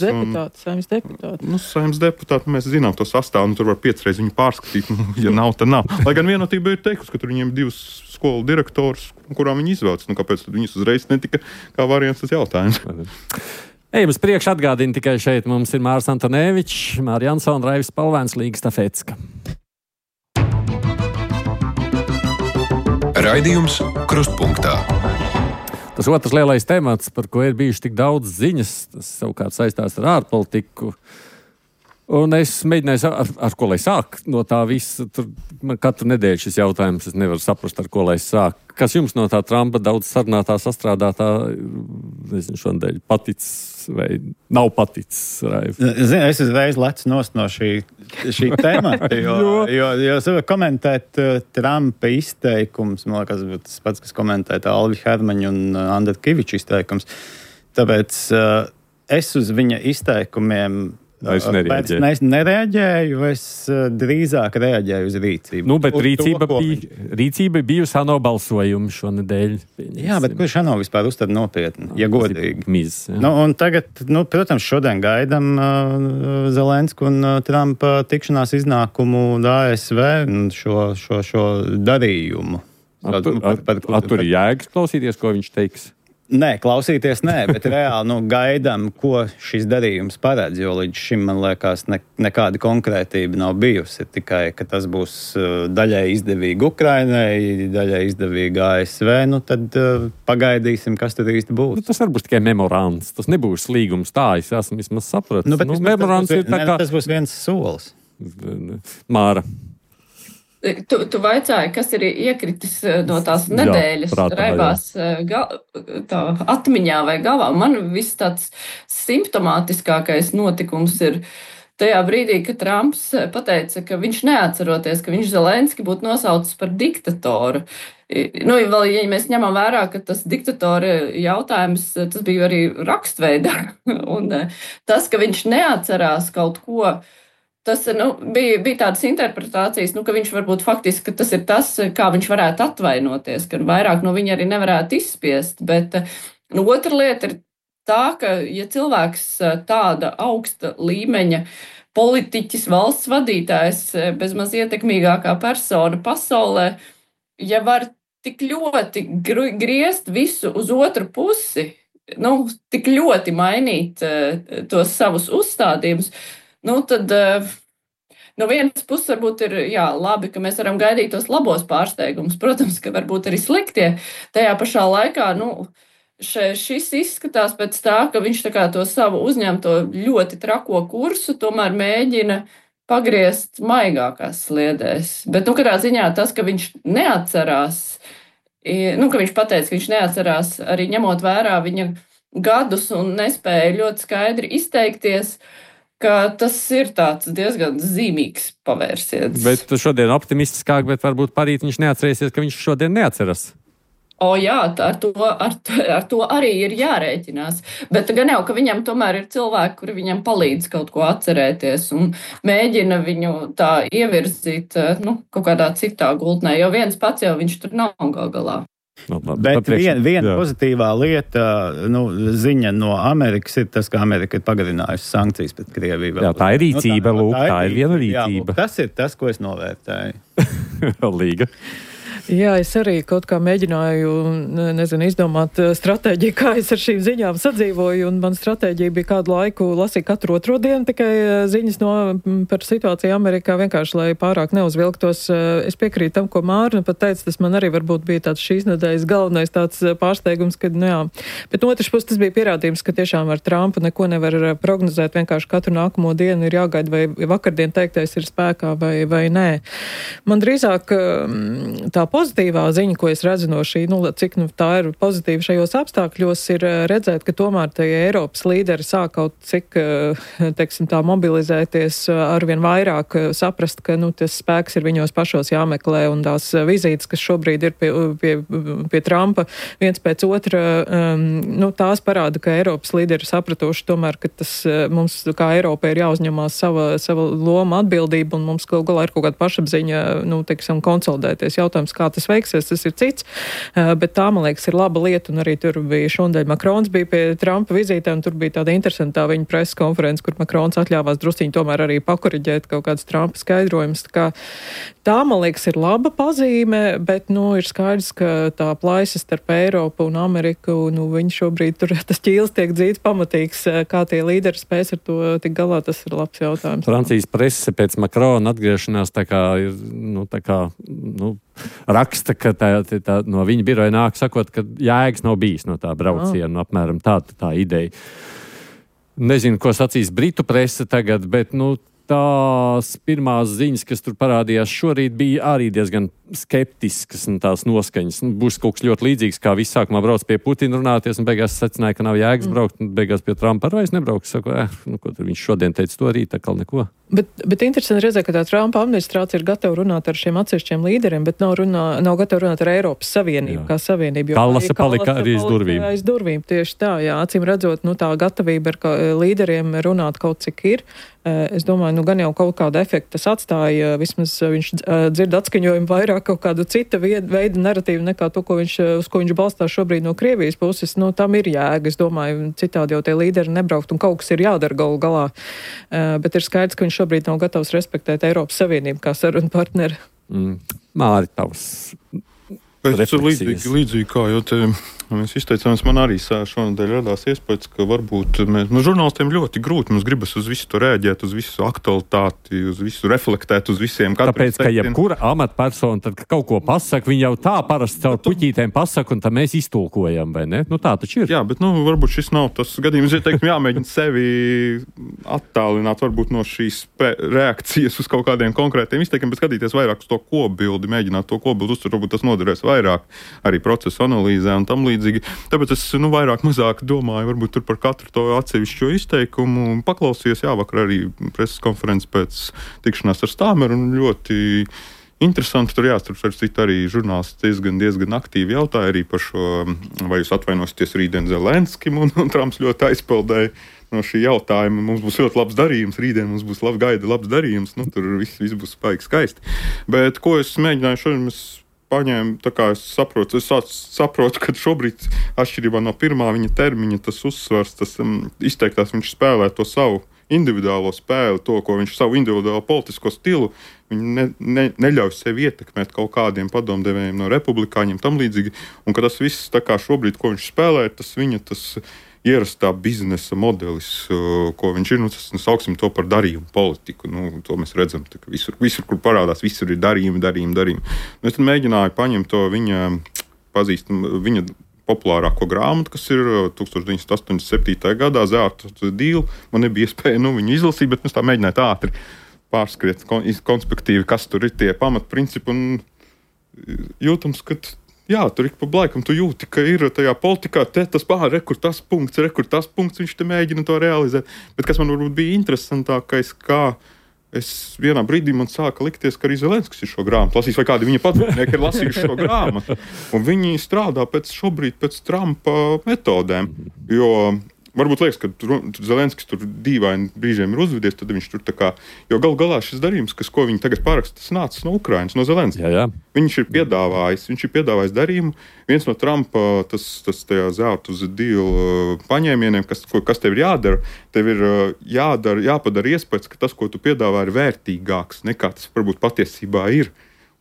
Saeimas deputāti. Nu, Saeimas deputāti, mēs zinām to sastāvu, nu, tur var piecreiz viņu pārskatīt, nu, ja nav, tad nav. Lai gan vienotība ir teikusi, ka tur viņiem divas skolu direktors, kurām viņi izvēlas. Nu, kāpēc tad viņas uzreiz netika kā variants tas jautājums? Ejam uz priekšu, atgādina tikai šeit. Mums ir Mārs Antonēvičs, Māra Jansona, Raivis Palvēns, Līga Stafecka. Raidījums Krustpunktā. Tas otrs lielais temats, par ko ir bijuši tik daudz ziņas, tas savukārt saistās ar ārpolitiku. Un es mēģināju, ar, ar ko lai sāk no tā visa. Tur man katru nedēļu šis jautājums, es nevaru saprast, ar ko lai sāk. Kas jums no tā Trumpa daudz sarunātā, sastrādātā, nezinu, šodien paticis vai nav paticis? Zini, es uzreiz lecu nost no šī, šī temata, jo, jo, jo, jo komentēt uh, Trumpa izteikums, man liekas, būtu tas pats, kas komentēt Alvi Hermaņu un uh, Andra Kiviča izteikums. Tāpēc uh, es uz viņa izteikumiem Es nereaģēju. Pēc, es nereaģēju, es uh, drīzāk reaģēju uz rīcību. Nu, bet uz rīcība, to, bija, rīcība bija uz ANO balsojumu šonedēļ. Jā, bet kurš ANO vispār uztver nopietni, ja godīgi? Miz, nu, un tagad, nu, protams, šodien gaidam uh, Zelensku un uh, Trumpa tikšanās iznākumu A S V šo, šo, šo darījumu. At, tur, at, par, par, at, tur ir jēgas klausīties, ko viņš teiks? Nē, klausīties nē, bet reāli nu, gaidām, ko šis darījums paredz, jo līdz šim, man liekas, ne, nekāda konkrētība nav bijusi. Tikai, ka tas būs uh, daļai izdevīgi Ukrainai, daļai izdevīgi A S V, nu tad uh, pagaidīsim, kas tad īsti būs. Nu, tas var būt tikai memorands, tas nebūs līgums tā, es esmu vismaz sapratis. Nu, bet nu, tas, memorands tas, ir tā ne, kā... tas būs viens solis. Māra. Tu, tu vaicāji, kas ir iekritis no tās nedēļas jā, raibās gal, tā, atmiņā vai galvā. Man viss tāds simptomātiskākais notikums ir tajā brīdī, kad Trumps pateica, ka viņš neatceroties, ka viņš Zelenski būtu nosaucis par diktatoru. Nu, vēl, ja mēs ņemam vērā, ka tas diktatora jautājums, tas bija arī rakstveidā. Un tas, ka viņš neatcerās kaut ko, Tas nu, bija, bija tādas interpretācijas, nu, ka viņš varbūt faktiski, ka tas ir tas, kā viņš varētu atvainoties, ka vairāk no viņa arī nevarētu izspiest. Bet nu, otra lieta ir tā, ka ja cilvēks tāda augsta līmeņa politiķis, valsts vadītājs, bezmaz ietekmīgākā persona pasaulē, ja var tik ļoti griezt visu uz otru pusi, nu, tik ļoti mainīt tos savus uzstādījumus, Nu, tad no vienas puses varbūt ir jā, labi, ka mēs varam gaidīt tos labos pārsteigumus. Protams, ka varbūt arī sliktie. Tajā pašā laikā nu, še, šis izskatās pēc tā, ka viņš tā kā to savu uzņemto ļoti trako kursu tomēr mēģina pagriezt maigākās sliedēs. Bet, nu, kādā ziņā tas, ka viņš neatcerās, nu, ka viņš pateica, ka viņš neatcerās arī ņemot vērā viņa gadus un nespēja ļoti skaidri izteikties, ka tas ir tāds diezgan zīmīgs pavērsiens. Bet šodien optimistiskāk, bet varbūt parīt viņš neatcerēsies, ka viņš šodien neatceras. O jā, ar to, ar, ar to arī ir jārēķinās. Bet gan jau, ka viņam tomēr ir cilvēki, kuri viņam palīdz kaut ko atcerēties un mēģina viņu tā ievirzīt nu, kaut kādā citā gultnē, jo viens pats jau viņš tur nav gal galā. No, labi, Bet viena vien pozitīvā lieta, nu, ziņa no Amerikas ir tas, ka Amerika ir pagarinājusi sankcijas pret Krieviju. Jā, tā ir rīcība, nu, tā, lūk, tā, tā ir viena jā, rīcība. lūk, tas ir tas, ko es novērtēju. Līga. Jā, es arī kaut kā mēģināju, nezinu, izdomāt stratēģiju, kā es ar šīm ziņām sadzīvoju, un man stratēģija bija kādu laiku lasīt katru otro dienu tikai ziņas no, par situāciju Amerikā, vienkārši, lai pārāk neuzvilktos. Es piekrītu tam, ko Mārna pat teica, tas man arī varbūt bija tāds šīs nedēļas galvenais tāds pārsteigums, kad, nu jā, bet no otras puses tas bija pierādījums, ka tiešām ar Trumpu neko nevar prognozēt, vienkārši katru nākamo dienu ir jāgaida, vai vakardien teiktais ir spēkā vai, vai nē. Man drīzāk tā pozitīvā ziņa, ko es redzu no šī, nu, cik nu, tā ir pozitīva šajos apstākļos, ir redzēt, ka tomēr tie Eiropas līderi sāk kaut cik, teiksim, tā mobilizēties arvien vairāk, saprast, ka, nu, tas spēks ir viņos pašos jāmeklē, un tās vizītes, kas šobrīd ir pie, pie, pie Trumpa, viens pēc otra, um, nu, tās parāda, ka Eiropas līderi sapratuši tomēr, ka tas mums, kā Eiropai, ir jāuzņemās sava, sava loma atbildība, un mums kaut galā ir kaut kāda pašapziņa, nu, teiksim, konsolidēties. Jautājums, kā tas veiksies, tas ir cits, bet tā, man liekas, ir laba lieta, un arī tur bija šodien Makrons bija pie Trumpa vizītē, un tur bija tāda interesantā viņa preses konference, kur Makrons atļāvās drusciņi tomēr arī pakoriģēt kaut kādas Trumpa skaidrojumus. Tā, kā, tā, man liekas, ir laba pazīme, bet, nu, ir skaidrs, ka tā plaisa starp Eiropu un Ameriku, nu, viņi šobrīd tur, tas ķīls tiek dzīts pamatīgs, kā tie līderi spēs ar to tik galā, tas ir labs jautājums. Francijas prese pēc Makrona atgriešanās tā kā ir, nu, tā kā, nu, raksta, ka tā, tā, no viņa biroja nāk sakot, ka jēgas nav bijis no tā brauciena, oh. apmēram tā, tā ideja. Nezinu, ko sacīs Britu prese tagad, bet, nu, tās pirmās ziņas, kas tur parādījās šorīt, bija arī diezgan skeptiskas un tās noskaņas. Nu, būs kaut kas ļoti līdzīgs, kā viss sākumā brauc pie Putina runāties, un beigās secināja, ka nav jēgas braukt, un beigās pie Trumpa arī vairs nebraukt. Saku, eh, nu, ko tur viņš šodien teica, to rīt, tā kā neko. Bet, bet interesanti redzēt, ka tā Trumpa administrācija ir gatava runāt ar šiem atsevišķiem līderiem, bet nav, runā, nav gatava runāt ar Eiropas Savienību, jā. Kā Savienību. Kallasa palika arī aiz durvīm. Aiz durvīm, tieši tā, jā. Acīm redzot, nu tā gatavība ar līderiem runāt kaut cik ir. Es domāju, nu gan jau kaut kādu efektu tas atstāja, vismaz viņš dzird atskaņojumu vairāk kaut kādu cita veida narratīvu nekā to, ko viņš, uz ko viņš balstās šobrīd no Krievijas puses. Nu, tam ir jēga, es domāju, citādi jau tie līderi nebraukt un kaut kas ir jādara galu galā. Bet ir skaidrs, ka viņš šobrīd nav gatavs respektēt Eiropas Savienību kā sarunu partneri. Mm. Māri, tavs Pēc līdzīgi, līdzīgi kā jau te mēs izteicāmies, man arī šonadēļ radās iespējas, ka varbūt mēs, nu, žurnālistiem ļoti grūti, mums gribas uz visu to rēģēt, uz visu aktualitāti, uz visu reflektēt, uz visiem. Tāpēc, ka jebkura amatpersona, tad, ka kaut ko pasaka, viņi jau tā parasti caur puķītēm pasaka, un tad mēs iztulkojam, vai ne? Nu, tā taču ir. Jā, bet, nu, varbūt šis nav tas gadījums, ja teikt, jāmēģina sevi attālināt, varbūt no šīs reakcijas uz kaut kādiem konkrētiem izteikiem, bet skatīties vairāk uz to kopbildi, mēģināt to kopbildi uztvert, varbūt tas noderēs vairāk arī procesu analīzē un tam līdzīgi. Tāpēc es, nu, vairāk mazāk domāju, varbūt tur par katru to atsevišķo izteikumu. Paklausījos, jā, vakar arī preses konferences pēc tikšanās ar Stāmeru un ļoti interesanti tur jāstarp ar citu arī žurnālisti diezgan, diezgan aktīvi jautāja arī par šo, vai jūs atvainosities rītdien Zelenskim, un, un Trumps ļoti aizpeldēja no šī jautājuma. Mums būs ļoti labs darījums, rītdien mums būs lab, gaida labs darījums, nu, tur viss, viss būs spaigi skaisti. Bet ko es mēģināju šodien, es paņēmu, tā kā es saprotu, es saprotu, ka šobrīd atšķirībā no pirmā viņa termiņa tas uzsvars, tas um, izteiktās viņš spēlē to savu individuālo spēli, to, ko viņš savu individuālo politisko stilu, viņi ne, ne, neļauj sevi ietekmēt kaut kādiem padomdevējiem no republikāņiem tam līdzīgi, un ka tas viss, tā kā šobrīd, ko viņš spēlē, tas viņa tas ierastā biznesa modelis, ko viņš ir, nu, tas, nu, sauksim to par darījumu politiku. Nu, to mēs redzam, tā, ka visur, visur, kur parādās, visur ir darījumi, darījumi, darījumi. Nu, es tad mēģināju paņemt to viņa pazīstamu, viņa populārāko grāmatu, kas ir tūkstoš deviņsimt astoņdesmit septītajā gadā, Zelta dīla. Man nebija iespēja, nu, viņu izlasīt, bet es tā mēģināju tā ātri pārskriet konspektīvi, kas tur ir tie pamatprincipi, un jūtams, ka jā, tur ik pa laikam tu jūti, ka ir tajā politikā te tas pār, rekur tas punkts, rekur tas punkts, viņš te mēģina to realizēt. Bet kas man varbūt bija interesantākais, kā es vienā brīdī man sāka likties, ka arī Zelenskis ir šo grāmatu lasījis, vai kādi viņa padomnieki ir lasījuši šo grāmatu. Un viņi strādā pēc šobrīd pēc Trumpa metodēm, jo varbūt liekas, ka tur, tur Zelenskis tur dīvaini brīžiem ir uzvedies, tad viņš tur tā kā, jo gal galā šis darījums, kas, ko viņi tagad paraksta, tas nācis no Ukrainas, no Zelenskis. Jā, jā. Viņš ir piedāvājis, viņš ir piedāvājis darījumu. Viens no Trumpa, tas, tas tajā Zelta dīla paņēmieniem, kas, ko, kas tev ir jādara, tev ir jādara, jāpadara iespējas, ka tas, ko tu piedāvā, ir vērtīgāks nekā tas varbūt patiesībā ir.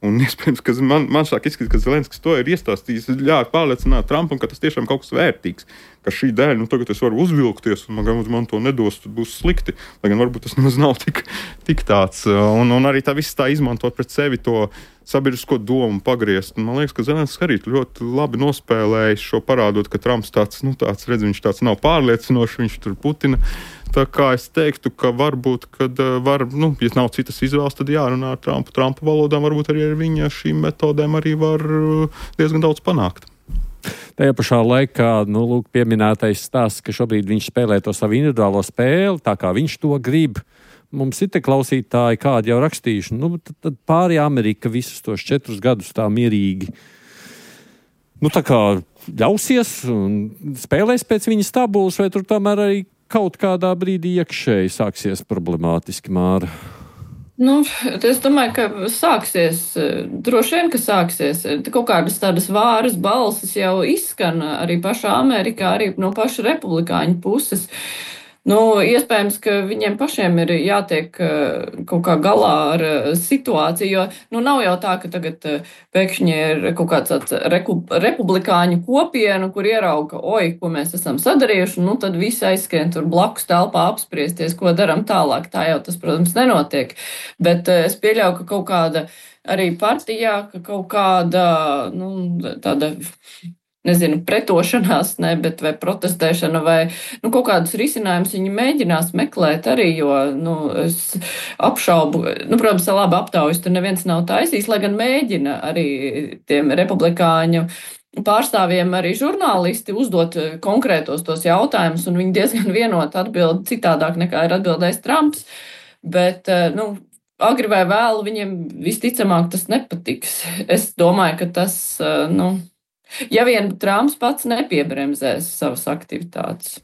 Un iespējams, ka man, man šāk izskatās, ka Zelenskis to ir iestāstījis, ļāva pārliecināt Trumpam, ka tas tiešām kaut kas vērtīgs, ka šī dēļ, nu tagad es varu uzvilkties, un man, man to nedos, tad būs slikti, lai gan varbūt tas nemaz nav tik, tik tāds. Un, un arī tā viss tā izmantot pret sevi to sabiedrisko domu pagriezt. Un man liekas, ka Zelenskis arī ļoti labi nospēlējis šo parādot, ka Trumps tāds, nu tāds, redz, viņš tāds nav pārliecinošs, viņš tur Putina. Tā kā es teiktu, ka varbūt, kad var, nu, ja nav citas izvēles, tad jārunā ar Trumpu. Trumpa valodām varbūt arī ar viņa šīm metodēm arī var diezgan daudz panākt. Tajā pašā laikā, nu, lūk, pieminētais stāsts, ka šobrīd viņš spēlē to savu individuālo spēli, tā kā viņš to grib. Mums ir te klausītāji, kādi jau rakstījuši, nu, tad, tad pāri Amerika visus tos četrus gadus tā mierīgi, nu, tā kā ļausies un spēlēs pēc viņas tabulas, vai tur tomēr arī kaut kādā brīdī iekšēji sāksies problemātiski, Māra? Nu, es domāju, ka sāksies, droši vien, ka sāksies. Kaut kādas tādas vāras balsis jau izskan arī pašā Amerikā, arī no paša republikāņu puses. Nu, iespējams, ka viņiem pašiem ir jātiek kaut kā galā ar situāciju, jo nu, nav jau tā, ka tagad pēkšņi ir kaut kāds tāds republikāņu kopienu, kur ierauga, oi, ko mēs esam sadarījuši, nu tad visi aizskrien tur blakus telpā apspriesties, ko daram tālāk. Tā jau tas, protams, nenotiek. Bet es pieļauju, ka kaut kāda arī partijā, ka kaut kāda, nu, tāda nezinu, pretošanās, ne, bet vai protestēšana, vai nu, kaut kādus risinājumus viņi mēģinās meklēt arī, jo nu, es apšaubu, nu, protams, labi aptaujas, tur neviens nav taisījis, lai gan mēģina arī tiem republikāņu pārstāvjiem arī žurnālisti uzdot konkrētos tos jautājumus, un viņi diezgan vienot atbild citādāk nekā ir atbildējis Trumps, bet, nu, agri vai vēlu viņiem visticamāk tas nepatiks. Es domāju, ka tas, nu, ja vien Trumps pats nepiebremzēs savas aktivitātes.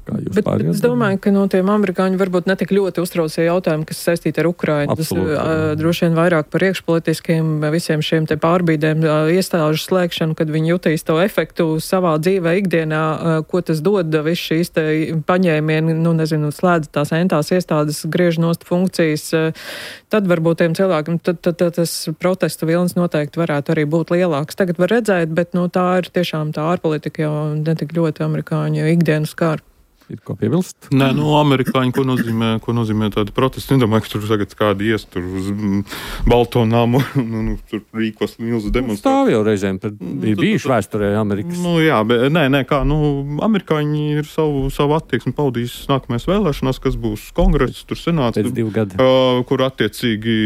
Bet, bet es domāju, ka no tiem amerikāņi varbūt netik ļoti uztraucie jautājumi, kas saistīti ar Ukrainu. Absolūti, tas uh, droši vien vairāk par iekšpolitiskiem visiem šiem te pārbīdēm, uh, iestāžu slēgšanu, kad viņi jutīs to efektu savā dzīvē ikdienā, uh, ko tas dod, viss šīs te paņēmieni, nu nezinu, slēdz tās entās iestādes, griež nost funkcijas, uh, tad varbūt tiem cilvēkiem, tad, tad, tad tas protestu vilnis noteikti varētu arī būt lielāks. Tagad var redzēt, bet nu, tā ir tiešām tā ārpolitika jau netik ļoti amerikāņu ikdienas skāra. Ir ko piebilst? Nē, nu, amerikāņi, ko nozīmē, ko nozīmē tādi protesti? Nedomāju, ka tur tagad kādi ies tur uz Balto namu, nu, nu, tur rīkos milzu demonstrāciju. Stāv jau reizēm, tad ir bijuši vēsturē Amerikas. Nu, jā, bet nē, nē, kā, nu, amerikāņi ir savu, savu attieksmi paudījis nākamais vēlēšanās, kas būs kongress, tur senāts. Pēc divu gadu. Uh, kur attiecīgi,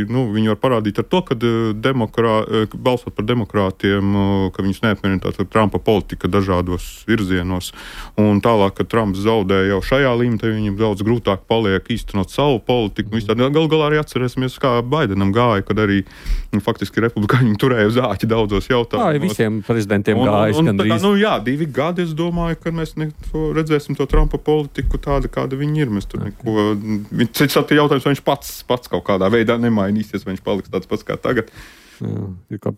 nu, viņi var parādīt ar to, ka demokrā, balsot par demokrātiem, ka viņus neapmierina tātad Trumpa politika dažādos virzienos, un tālāk, ka Trumps zaudēja jau šajā līmenī, viņam daudz grūtāk paliek īstenot savu politiku. Galu galā arī atcerēsimies, kā Baidenam gāja, kad arī nu, faktiski republikāņi turēja uz āķi daudzos jautājumos. Tā visiem prezidentiem gājas. Un, un, un, tā, nu, jā, divi gadi, es domāju, ka mēs ne, to redzēsim to Trumpa politiku tāda, kāda viņi ir. Mēs tur neko, cits attīja jautājums, vai viņš pats, pats kaut kādā veidā nemainīsies, vai viņš paliks tāds pats kā tagad. Jā, kā...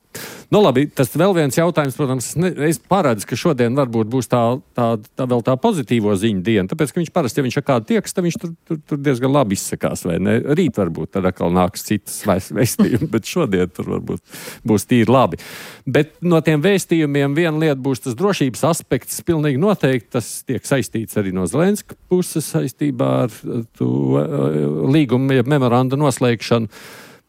Nu, labi, tas vēl viens jautājums, protams, es, ne, es paredzu, ka šodien varbūt būs tā, tā, tā vēl tā pozitīvo ziņu diena, tāpēc, ka viņš parasti, ja viņš ar kādu tieks, tad viņš tur, tur, tur diezgan labi izsakās, vai ne? Rīt varbūt tad atkal nāks citas vēstījumi, bet šodien tur varbūt būs tīri labi. Bet no tiem vēstījumiem viena lieta būs tas drošības aspekts, pilnīgi noteikti tas tiek saistīts arī no Zelenska puses saistībā ar to līgumu, ja memoranda noslēgšanu.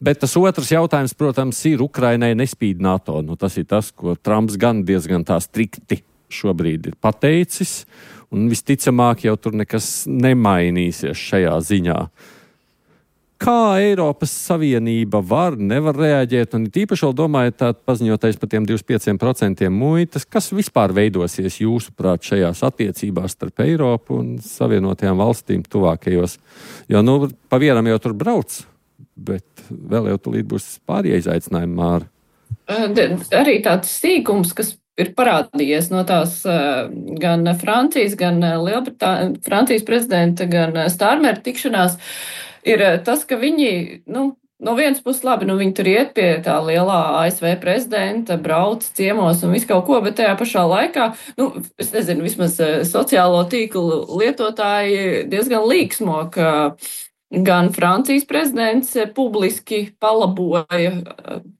Bet tas otrs jautājums, protams, ir Ukrainai nespīd NATO. Nu, tas ir tas, ko Trumps gan diezgan tā strikti šobrīd ir pateicis, un visticamāk jau tur nekas nemainīsies šajā ziņā. Kā Eiropas Savienība var, nevar reaģēt, un tīpaši vēl domājot tā paziņotais par tiem divdesmit pieciem procentiem muitas, kas vispār veidosies jūsuprāt šajās attiecībās starp Eiropu un Savienotajām valstīm tuvākajos? Jo, nu, pa vienam jau tur brauc. Bet vēl jau tulīt būs pārējie izaicinājumi, Māra. Arī tāds sīkums, kas ir parādījies no tās gan Francijas, gan Lielbritānijas, Francijas prezidenta, gan Stārmera tikšanās, ir tas, ka viņi, nu, no vienas puses labi, nu viņi tur iet pie tā lielā A S V prezidenta, brauc ciemos un visu kaut ko, bet tajā pašā laikā, nu, es nezinu, vismaz sociālo tīklu lietotāji diezgan līksmo, ka gan Francijas prezidents publiski palaboja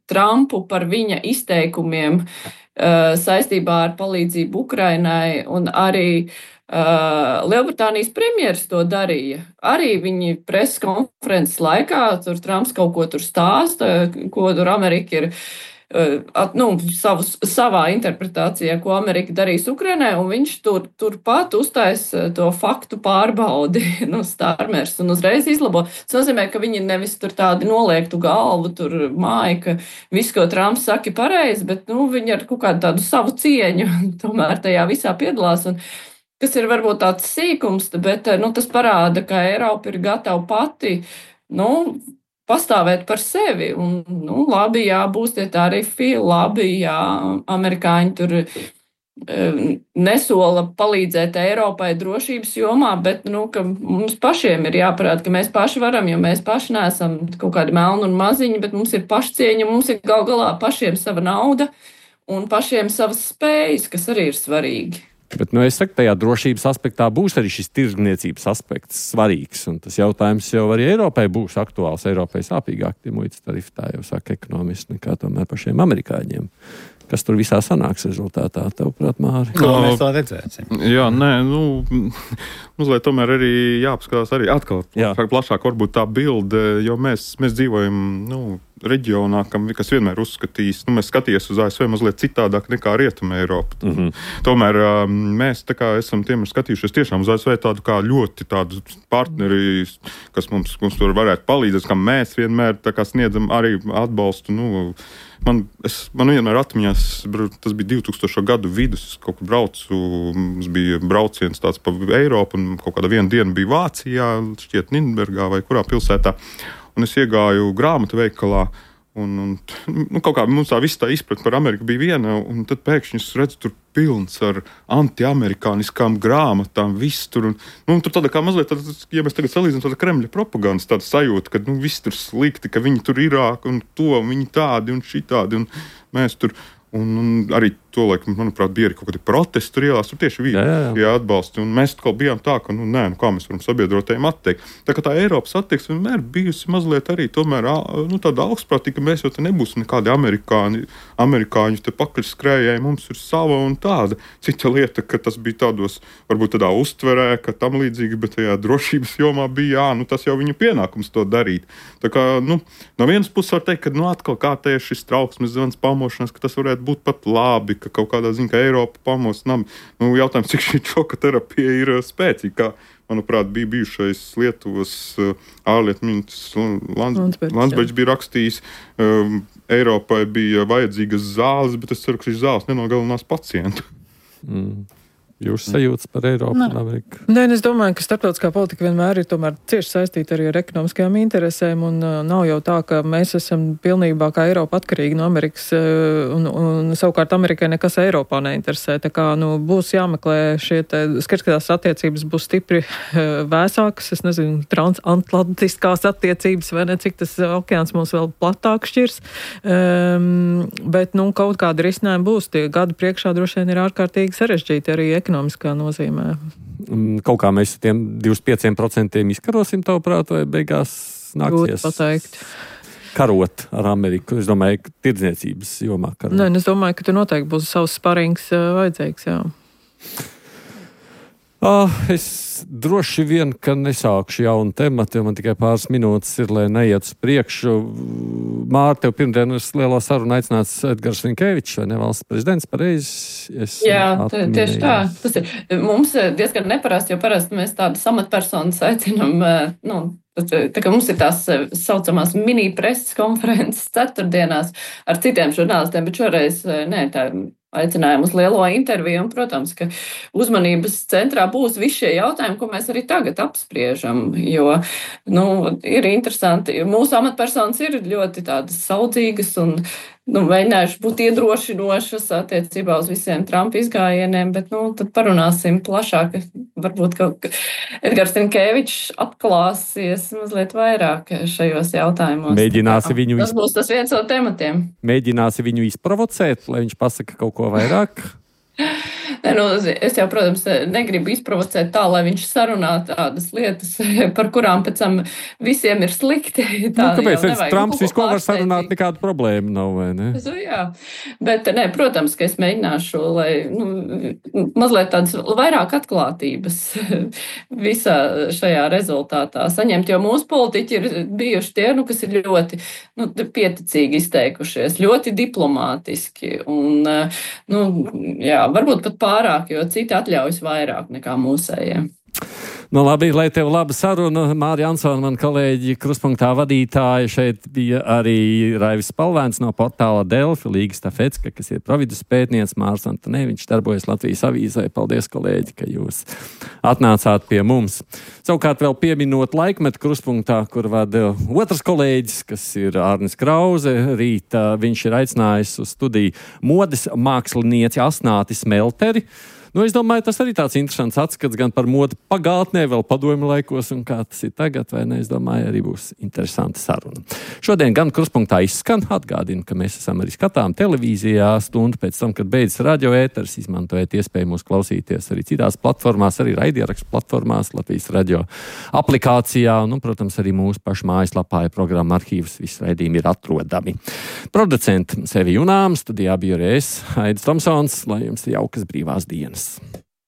Trumpu par viņa izteikumiem uh, saistībā ar palīdzību Ukrainai, un arī uh, Lielbritānijas premjeras to darīja. Arī viņi preses konferences laikā, tur Trumps kaut ko tur stāsta, ko tur Amerika ir At, nu, savus, savā interpretācijā, ko Amerika darīs Ukrainai, un viņš tur, turpat uztais to faktu pārbaudi, nu, Stārmers, un uzreiz izlabo. Tas nozīmē, ka viņi nevis tur tādi noliektu galvu, tur māja, ka viss, ko Trumps saka, ir pareizi, bet, nu, viņi ar kaut kādu tādu savu cieņu tomēr tajā visā piedalās, un kas ir varbūt tāds sīkums, bet, nu, tas parāda, ka Eiropa ir gatava pati, nu, pastāvēt par sevi, un, nu, labi, jā, būs tie tarifi, labi, jā, amerikāņi tur nesola palīdzēt Eiropai drošības jomā, bet, nu, ka mums pašiem ir jāparāda, ka mēs paši varam, jo mēs paši neesam kaut kādi melni un maziņi, bet mums ir pašcieņa, mums ir gal galā pašiem sava nauda un pašiem savas spējas, kas arī ir svarīgi. Bet, nu, es saku, tajā drošības aspektā būs arī šis tirdzniecības aspekts svarīgs, un tas jautājums jau arī Eiropai būs aktuāls. Eiropai sāpīgāk tie muitas tarifi, tā jau saka ekonomisti, nekā tomēr pašiem amerikāņiem. Kas tur visā sanāks rezultātā, tavuprāt, Māri? Ko mēs tā redzēsim? Jā, nē, nu, mazliet tomēr arī jāapskatās arī atkal Jā. plašāk varbūt tā bilde, jo mēs, mēs dzīvojam, nu, reģionā, kam, kas vienmēr uzskatīs, nu, mēs skaties uz A S V mazliet citādāk nekā Rietuma Eiropa. Mm-hmm. Tomēr mēs tā kā esam tiem skatījušies tiešām uz A S V tādu kā ļoti tādu partneri, kas mums, mums tur varētu palīdzēt, kam mēs vienmēr tā kā sniedzam arī atbalstu, nu, Man, es, man vienmēr atmiņās, tas bija divtūkstošo gadu vidus, es kaut kur braucu, mums bija brauciens tāds pa Eiropu, un kaut kāda viena diena bija Vācijā, šķiet Nīderlandē vai kurā pilsētā, un es iegāju grāmatu veikalā, un, un nu, kaut kā mums tā viss tā izpratne par Ameriku bija viena, un tad pēkšņi es redzu tur pilns ar antiamerikāniskām grāmatām, viss tur, un nu, tur tāda kā mazliet, tāda, ja mēs tagad salīdzinām, tāda Kremļa propagandas, tāda sajūta, ka nu, viss tur slikti, ka viņi tur Irāk un to, un viņi tādi un šitādi, un mēs tur, un, un arī to laikam, manuprāt, bija arī kaut kādi protesti tur ielās, tur tieši bija jā, jā. Jā, atbalsti, un mēs atkal bijām tā, ka, nu, nē, nu, kā mēs varam sabiedrotējiem atteikt. Tā kā tā Eiropas attieksme vienmēr bijusi mazliet arī tomēr, nu, tāda augstprātīga, mēs jau te nebūsim nekādi amerikāņi, amerikāņi te pakaļ skrējēji, mums ir sava un tāda. Cita lieta, ka tas bija tādos, varbūt tādā uztverē, ka tam līdzīgi, bet tajā drošības jomā bija, jā, nu, tas jau viņu pienākums to darīt. Tā kā, nu, no vienas puses var teikt, ka, nu, atkal kā te ir šis trauksmes zvans pamošanās, ka tas varētu būt pat labi, ka kaut kādā ziņā, ka Eiropa pamostam. Nu, jautājums, cik šī šoka terapija ir spēcīga, kā, manuprāt, bija bijušais Lietuvas ārlietu ministrs Landsbergs bija rakstījis, um, Eiropai bija vajadzīgas zāles, bet es ceru, ka šīs zāles nenogalinās pacientu. Mm. Jūs sajūtas par Eiropu Nē. un Ameriku? Nē, es domāju, ka starptautiskā politika vienmēr ir tomēr cieši saistīta arī ar ekonomiskajām interesēm, un uh, nav jau tā, ka mēs esam pilnībā kā Eiropa atkarīgi no Amerikas, uh, un, un savukārt Amerikai nekas Eiropā neinteresē. Tā kā, nu, būs jāmeklē šie te, skats, ka tās attiecības būs stipri uh, vēsākas, es nezinu, transatlantiskās attiecības, vai ne, cik tas okeāns mums vēl platāk šķirs, um, bet, nu, kaut kādi risinājumi būs, tie gadi priekšā droši vien ir ārkārtīgi sarežģīti arī ekonomiskā nozīmē. Kaut kā mēs tiem divdesmit pieciem procentiem izkarosim, tavuprāt, vai beigās nāksies pateikt. Karot ar Ameriku? Es domāju, ka tirdzniecības jomā karot. Nē, es domāju, ka tur noteikti būs savs sparings uh, vajadzīgs, jā. Ah, es droši vien, ka nesākšu jaunu tematu, jo man tikai pāris minūtes ir, lai neiet uz priekšu. Māri, tev pirmdien uz lielā sarunu aicināts Edgars Rinkēvičs, vai ne, valsts prezidents, pareizi? Es Jā, tieši tā. Tas ir mums diezgan neparasti, jo parasti mēs tādas amatpersonas aicinam, nu, tā kā mums ir tās saucamās mini preses konferences ceturtdienās ar citiem žurnālistiem, bet šoreiz, nē, tā aicinājumu uz lielo interviju, un, protams, ka uzmanības centrā būs visi šie jautājumi, ko mēs arī tagad apspriežam, jo, nu, ir interesanti, mūsu amatpersonas ir ļoti tādas saudzīgas un, nu, mēģinājuši būt iedrošinošas attiecībā uz visiem Trumpa izgājieniem, bet, nu, tad parunāsim plašāk, varbūt, ka Edgars Rinkēvičs atklāsies mazliet vairāk šajos jautājumos. Mēģināsi viņu Tas būs tas viens no tematiem. Mēģināsi viņu izprovocēt, lai viņš pasaka kaut ko vairāk? Ne, nu, es jau, protams, negribu izprovocēt tā, lai viņš sarunā tādas lietas, par kurām pēc tam visiem ir slikti. Tā, nu, kāpēc? Es, Trumps visu ko var sarunāt, nekāda problēma nav, vai ne? Es, jā, bet, ne, protams, ka es mēģināšu, lai, nu, mazliet tādas vairāk atklātības visā šajā rezultātā saņemt, jo mūsu politiķi ir bijuši tie, nu, kas ir ļoti, nu, pieticīgi izteikušies, ļoti diplomātiski un, nu, jā, varbūt pat pārāk, jo citi atļaujas vairāk nekā mūsējie. Nu, labi, lai tev laba saruna. Māri Ansona, man kolēģi Kruspunktā vadītāja. Šeit bija arī Raivis Spalvēns no portāla Delfi, Līga Stafecka, kas ir providus pētnieks, Mārs Antonē. Viņš darbojas Latvijas avīzē. Paldies, kolēģi, ka jūs atnācāt pie mums. Savukārt vēl pieminot laikmetu Kruspunktā, kur vada otrs kolēģis, kas ir Ārnis Krauze. Rīt viņš ir aicinājis uz studiju modes mākslinieci Asnāti Smelteri. Nu, es domāju, tas arī tāds interesants atskats gan par modi pagātnē, vēl padomju laikos, un kā tas ir tagad, vai ne? Es domāju, arī būs interesanta saruna. Šodien gan Kruspunktā izskan, atgādinu, ka mēs esam arī skatām televīzijā stundu pēc tam, kad beidzas radio ēters, izmantojiet iespēju mūs klausīties arī citās platformās, arī raidierakstu platformās, Latvijas radio aplikācijā, un, protams, arī mūsu pašu mājaslapā ir programma arhīvs, visi raidījumi ir atrodami. Producenti Sevi Junām, studijā biju arī es, Aidis Tomsons, lai jums ir jaukas brīvās dienas.